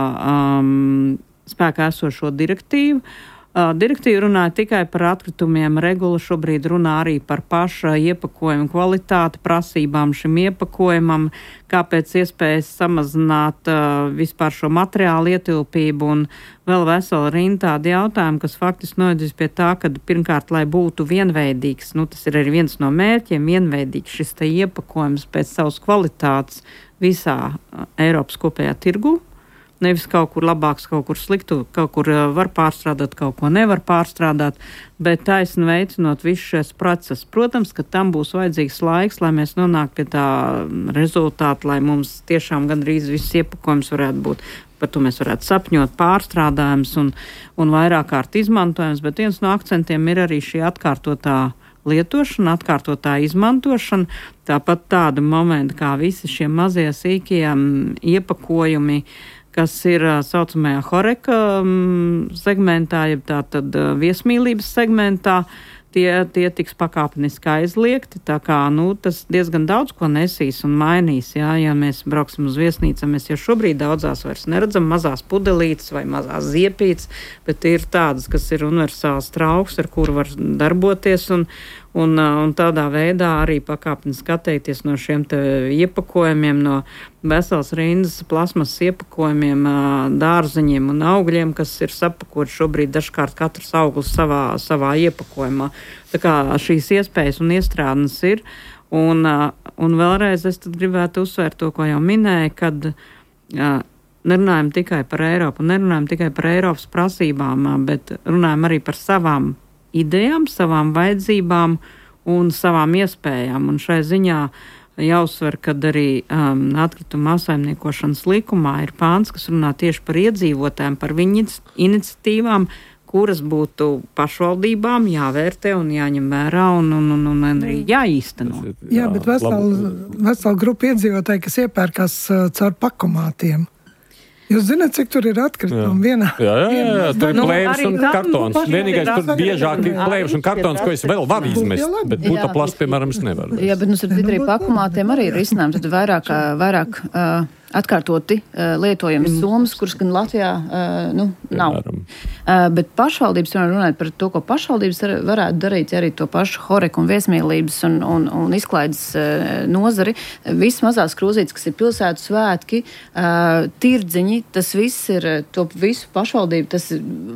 um, spēkā esošo direktīvu. Direktīva runāja tikai par atkritumiem, regula šobrīd runā arī par paša iepakojumu kvalitāti, prasībām šim iepakojumam, kāpēc iespējas samazināt uh, vispār šo materiālu ietilpību un vēl vesela rinda tādi jautājumi, kas faktiski novedīs pie tā, ka pirmkārt, lai būtu vienveidīgs, nu tas ir arī viens no mērķiem, vienveidīgs šis te iepakojums pēc savas kvalitātes visā uh, Eiropas kopējā tirgu. Nevis kaut kur labāks, kaut kur sliktu, kaut kur var pārstrādāt, kaut ko nevar pārstrādāt, bet taisni veicinot visu šos procesus. Protams, ka tam būs vajadzīgs laiks, lai mēs nonāktu pie tā rezultāta, lai mums tiešām gandrīz viss iepakojums varētu būt. Par to mēs varētu sapņot, pārstrādājums un, un vairāk kārt izmantojums, bet viens no akcentiem ir arī šī atkārtotā lietošana, atkārtotā izmantošana, tāpat tāda momenta kā visi šie mazie sīkie iepakojumi, kas ir saucamajā horeka segmentā, jeb tātad viesmīlības segmentā, tie, tie tiks pakāpeniski aizliegti, tā kā, nu, tas diezgan daudz ko nesīs un mainīs, jā, ja mēs brauksim uz viesnīcām, mēs jau šobrīd daudzās vairs neredzam mazās pudelītes vai mazās ziepītes, bet ir tādas, kas ir universāls trauks, ar kuru var darboties un Un, un tādā veidā arī pakāpeniski atteikties no šiem te iepakojumiem, no veselas rindas plasmas iepakojumiem, dārzeņiem un augļiem, kas ir sapakoti šobrīd dažkārt katrs auglis savā, savā iepakojumā. Tā kā šīs iespējas un iestrādnes ir. Un, un vēlreiz es tad gribētu uzsvērt to, ko jau minēju, kad nerunājam tikai par Eiropu, nerunājam tikai par Eiropas prasībām, bet runājam arī par savām idejām, savām vajadzībām un savām iespējām. Un šai ziņā jāuzsver, kad arī um, atkrituma apsaimniekošanas likumā ir pāns, kas runā tieši par iedzīvotājiem, par viņu iniciatīvām, kuras būtu pašvaldībām jāvērtē un jāņem vērā un, un, un, un arī jāīsteno. Jā, bet vesela, vesela grupa iedzīvotāji, kas iepērkās uh, caur pakomātiem. Jūs zināt, cik tur ir atkritumi vienā? Jā, jā, jā, jā. Tur ir Nu, plēvis un arī tam- kartons. nu, Vienīgais, tur pašai- biežāk ir plēvis un kartons, ko es vēl varu izmest, bet Jā. putaplastu, piemēram, es nevaru. Jā, bet mums ar arī pakumātiem arī ir risinājums. Tad vairāk, ā, vairāk uh, atkārtoti uh, lietojams somas, kuras gan Latvijā uh, nu, nav. Piemēram. Uh, bet pašvaldības, runājot par to, ko pašvaldības ar, varētu darīt, arī to pašu horeku un viesmīlības un, un, un izklaides uh, nozari, visas mazās krūzītes, kas ir pilsētu svētki, uh, tirdziņi, tas viss ir, to visu pašvaldību, tas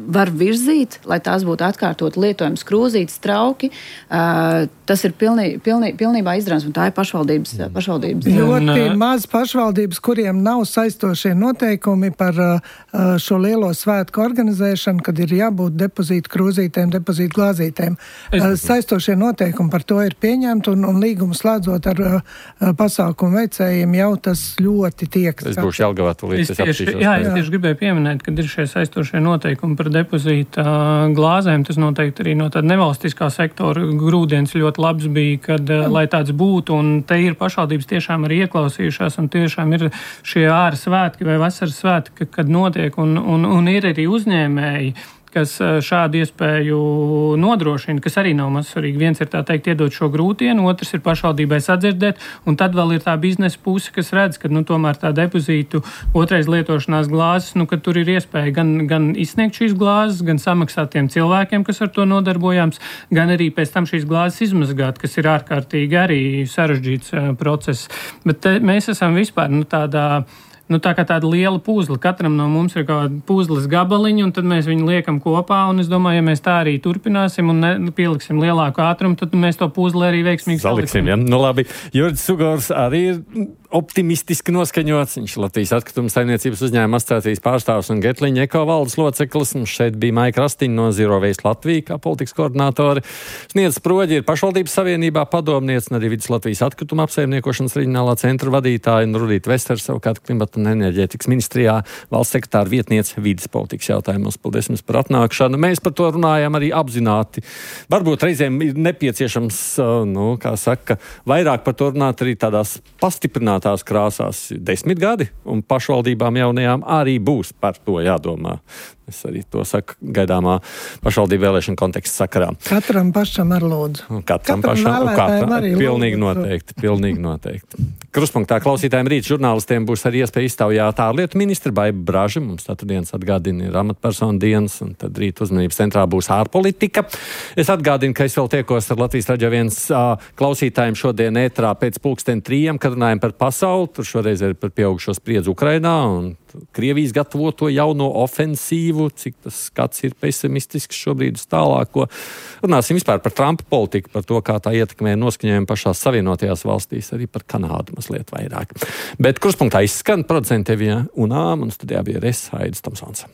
var virzīt, lai tās būtu atkārtot lietojams krūzītes, trauki. Uh, tas ir pilnī, pilnī, pilnībā izdarāms, un tā ir pašvaldības. pašvaldības. Ļoti maz pašvaldības, kuriem nav saistošie noteikumi par uh, šo lielo svētku organizēšanu, kad ir jābūt depozītu krūzītēm, depozītu glāzītēm. Uh, saistošie noteikumi par to ir pieņemti, un, un līgumu slēdzot ar uh, pasākumu veicējiem jau tas ļoti tiek. Es būšu Jelgavā tūlīt, es apsīšos. Jā, es tieši gribēju pieminēt, kad ir šie saistošie noteikumi par depozīta glāzēm. Tas noteikti arī no tāda nevalstiskā sektora grūdienis ļoti labs bija, kad, lai tāds būtu, un te ir pašvaldības tiešām arī ieklausījušās, un tiešām ir šie āra svētki vai vasaras svētki, kad notiek, un, un, un ir arī uzņēmēji, kas šādu iespēju nodrošina, kas arī nav maz svarīgi. Viens ir tā teikt iedot šo grūtienu, otrs ir pašvaldībai sadzirdēt, un tad vēl ir tā biznesa puse, kas redz, ka nu, tomēr tā depozītu otrais lietošanās glāzes, nu, ka tur ir iespēja gan, gan izsniegt šīs glāzes, gan samaksāt tiem cilvēkiem, kas ar to nodarbojams, gan arī pēc tam šīs glāzes izmazgāt, kas ir ārkārtīgi arī sarežģīts uh, process. Bet te, mēs esam vispār nu, tādā Nu, tā kā tāda liela puzle. Katram no mums ir kaut kāda puzles gabaliņa, un tad mēs viņu liekam kopā, un es domāju, ja mēs tā arī turpināsim un ne, pieliksim lielāku ātrumu, tad mēs to puzli arī veiksmīgi saliksim. Ja? Nu labi, Juris Sugors arī ir optimistiski noskaņots. Viņš Latvijas atkrituma saimniecības uzņēmuma asociācijas pārstāvs un Getliņa eko valdes loceklis. Un šeit bija Maika Rastiņa no Zero Waste Latvija, kā politikas koordinātori. Sniedz Sproģi ir pašvaldības savienībā padomniece un arī Vidus Latvijas atkrituma apsaimniekošanas reģionālā centra vadītāja un Rudīta Vesters savukārt klimata un enerģētikas ministrijā valsts sekretāra vietniece vides politikas jautājumos. Paldies jums par atnākšanu. Mēs par to runājam arī apzināti. Varbūt reizēm ir nepieciešams, nu, kā saka, vairāk par to runāt arī tādās pastiprinātās krāsās. Desmit gadi, un pašvaldībām jaunajām arī būs par to jādomā. Es arī to saku gaidāmā pašvaldību vēlēšana konteksta sakarā. Katram pašam ar lūdzu. Katram, Katram pašam, vēlētājiem katram, arī pilnīgi lūdzu. noteikti, pilnīgi noteikti. Kruspunktā klausītājiem rīt žurnālistiem būs arī iespēja iztaujāt ārlietu ministru Baibu Braži. Mums tātad dienas atgādina ir amatpersonu dienas, un tad rīt uzmanības centrā būs ārpolitika. Es atgādinu, ka es vēl tiekos ar Latvijas Radio viens uh, klausītājiem šodien ētrā pēc pulksten trījiem, kad runājam par pasauli. Tur šoreiz ir par pieaugušo spriedzi Ukrainā un Krievijas gatavoto jauno ofensīvu, cik tas skats ir pesimistisks šobrīd uz tālāko. Runāsim vispār par Trumpa politiku, par to, kā tā ietekmē noskaņojumu pašās Savienotajās valstīs, arī par Kanādu mazliet vairāk. Bet Kruspunktā izskan producente Evija Unām, un studijā bija es, Aidis Tomsons.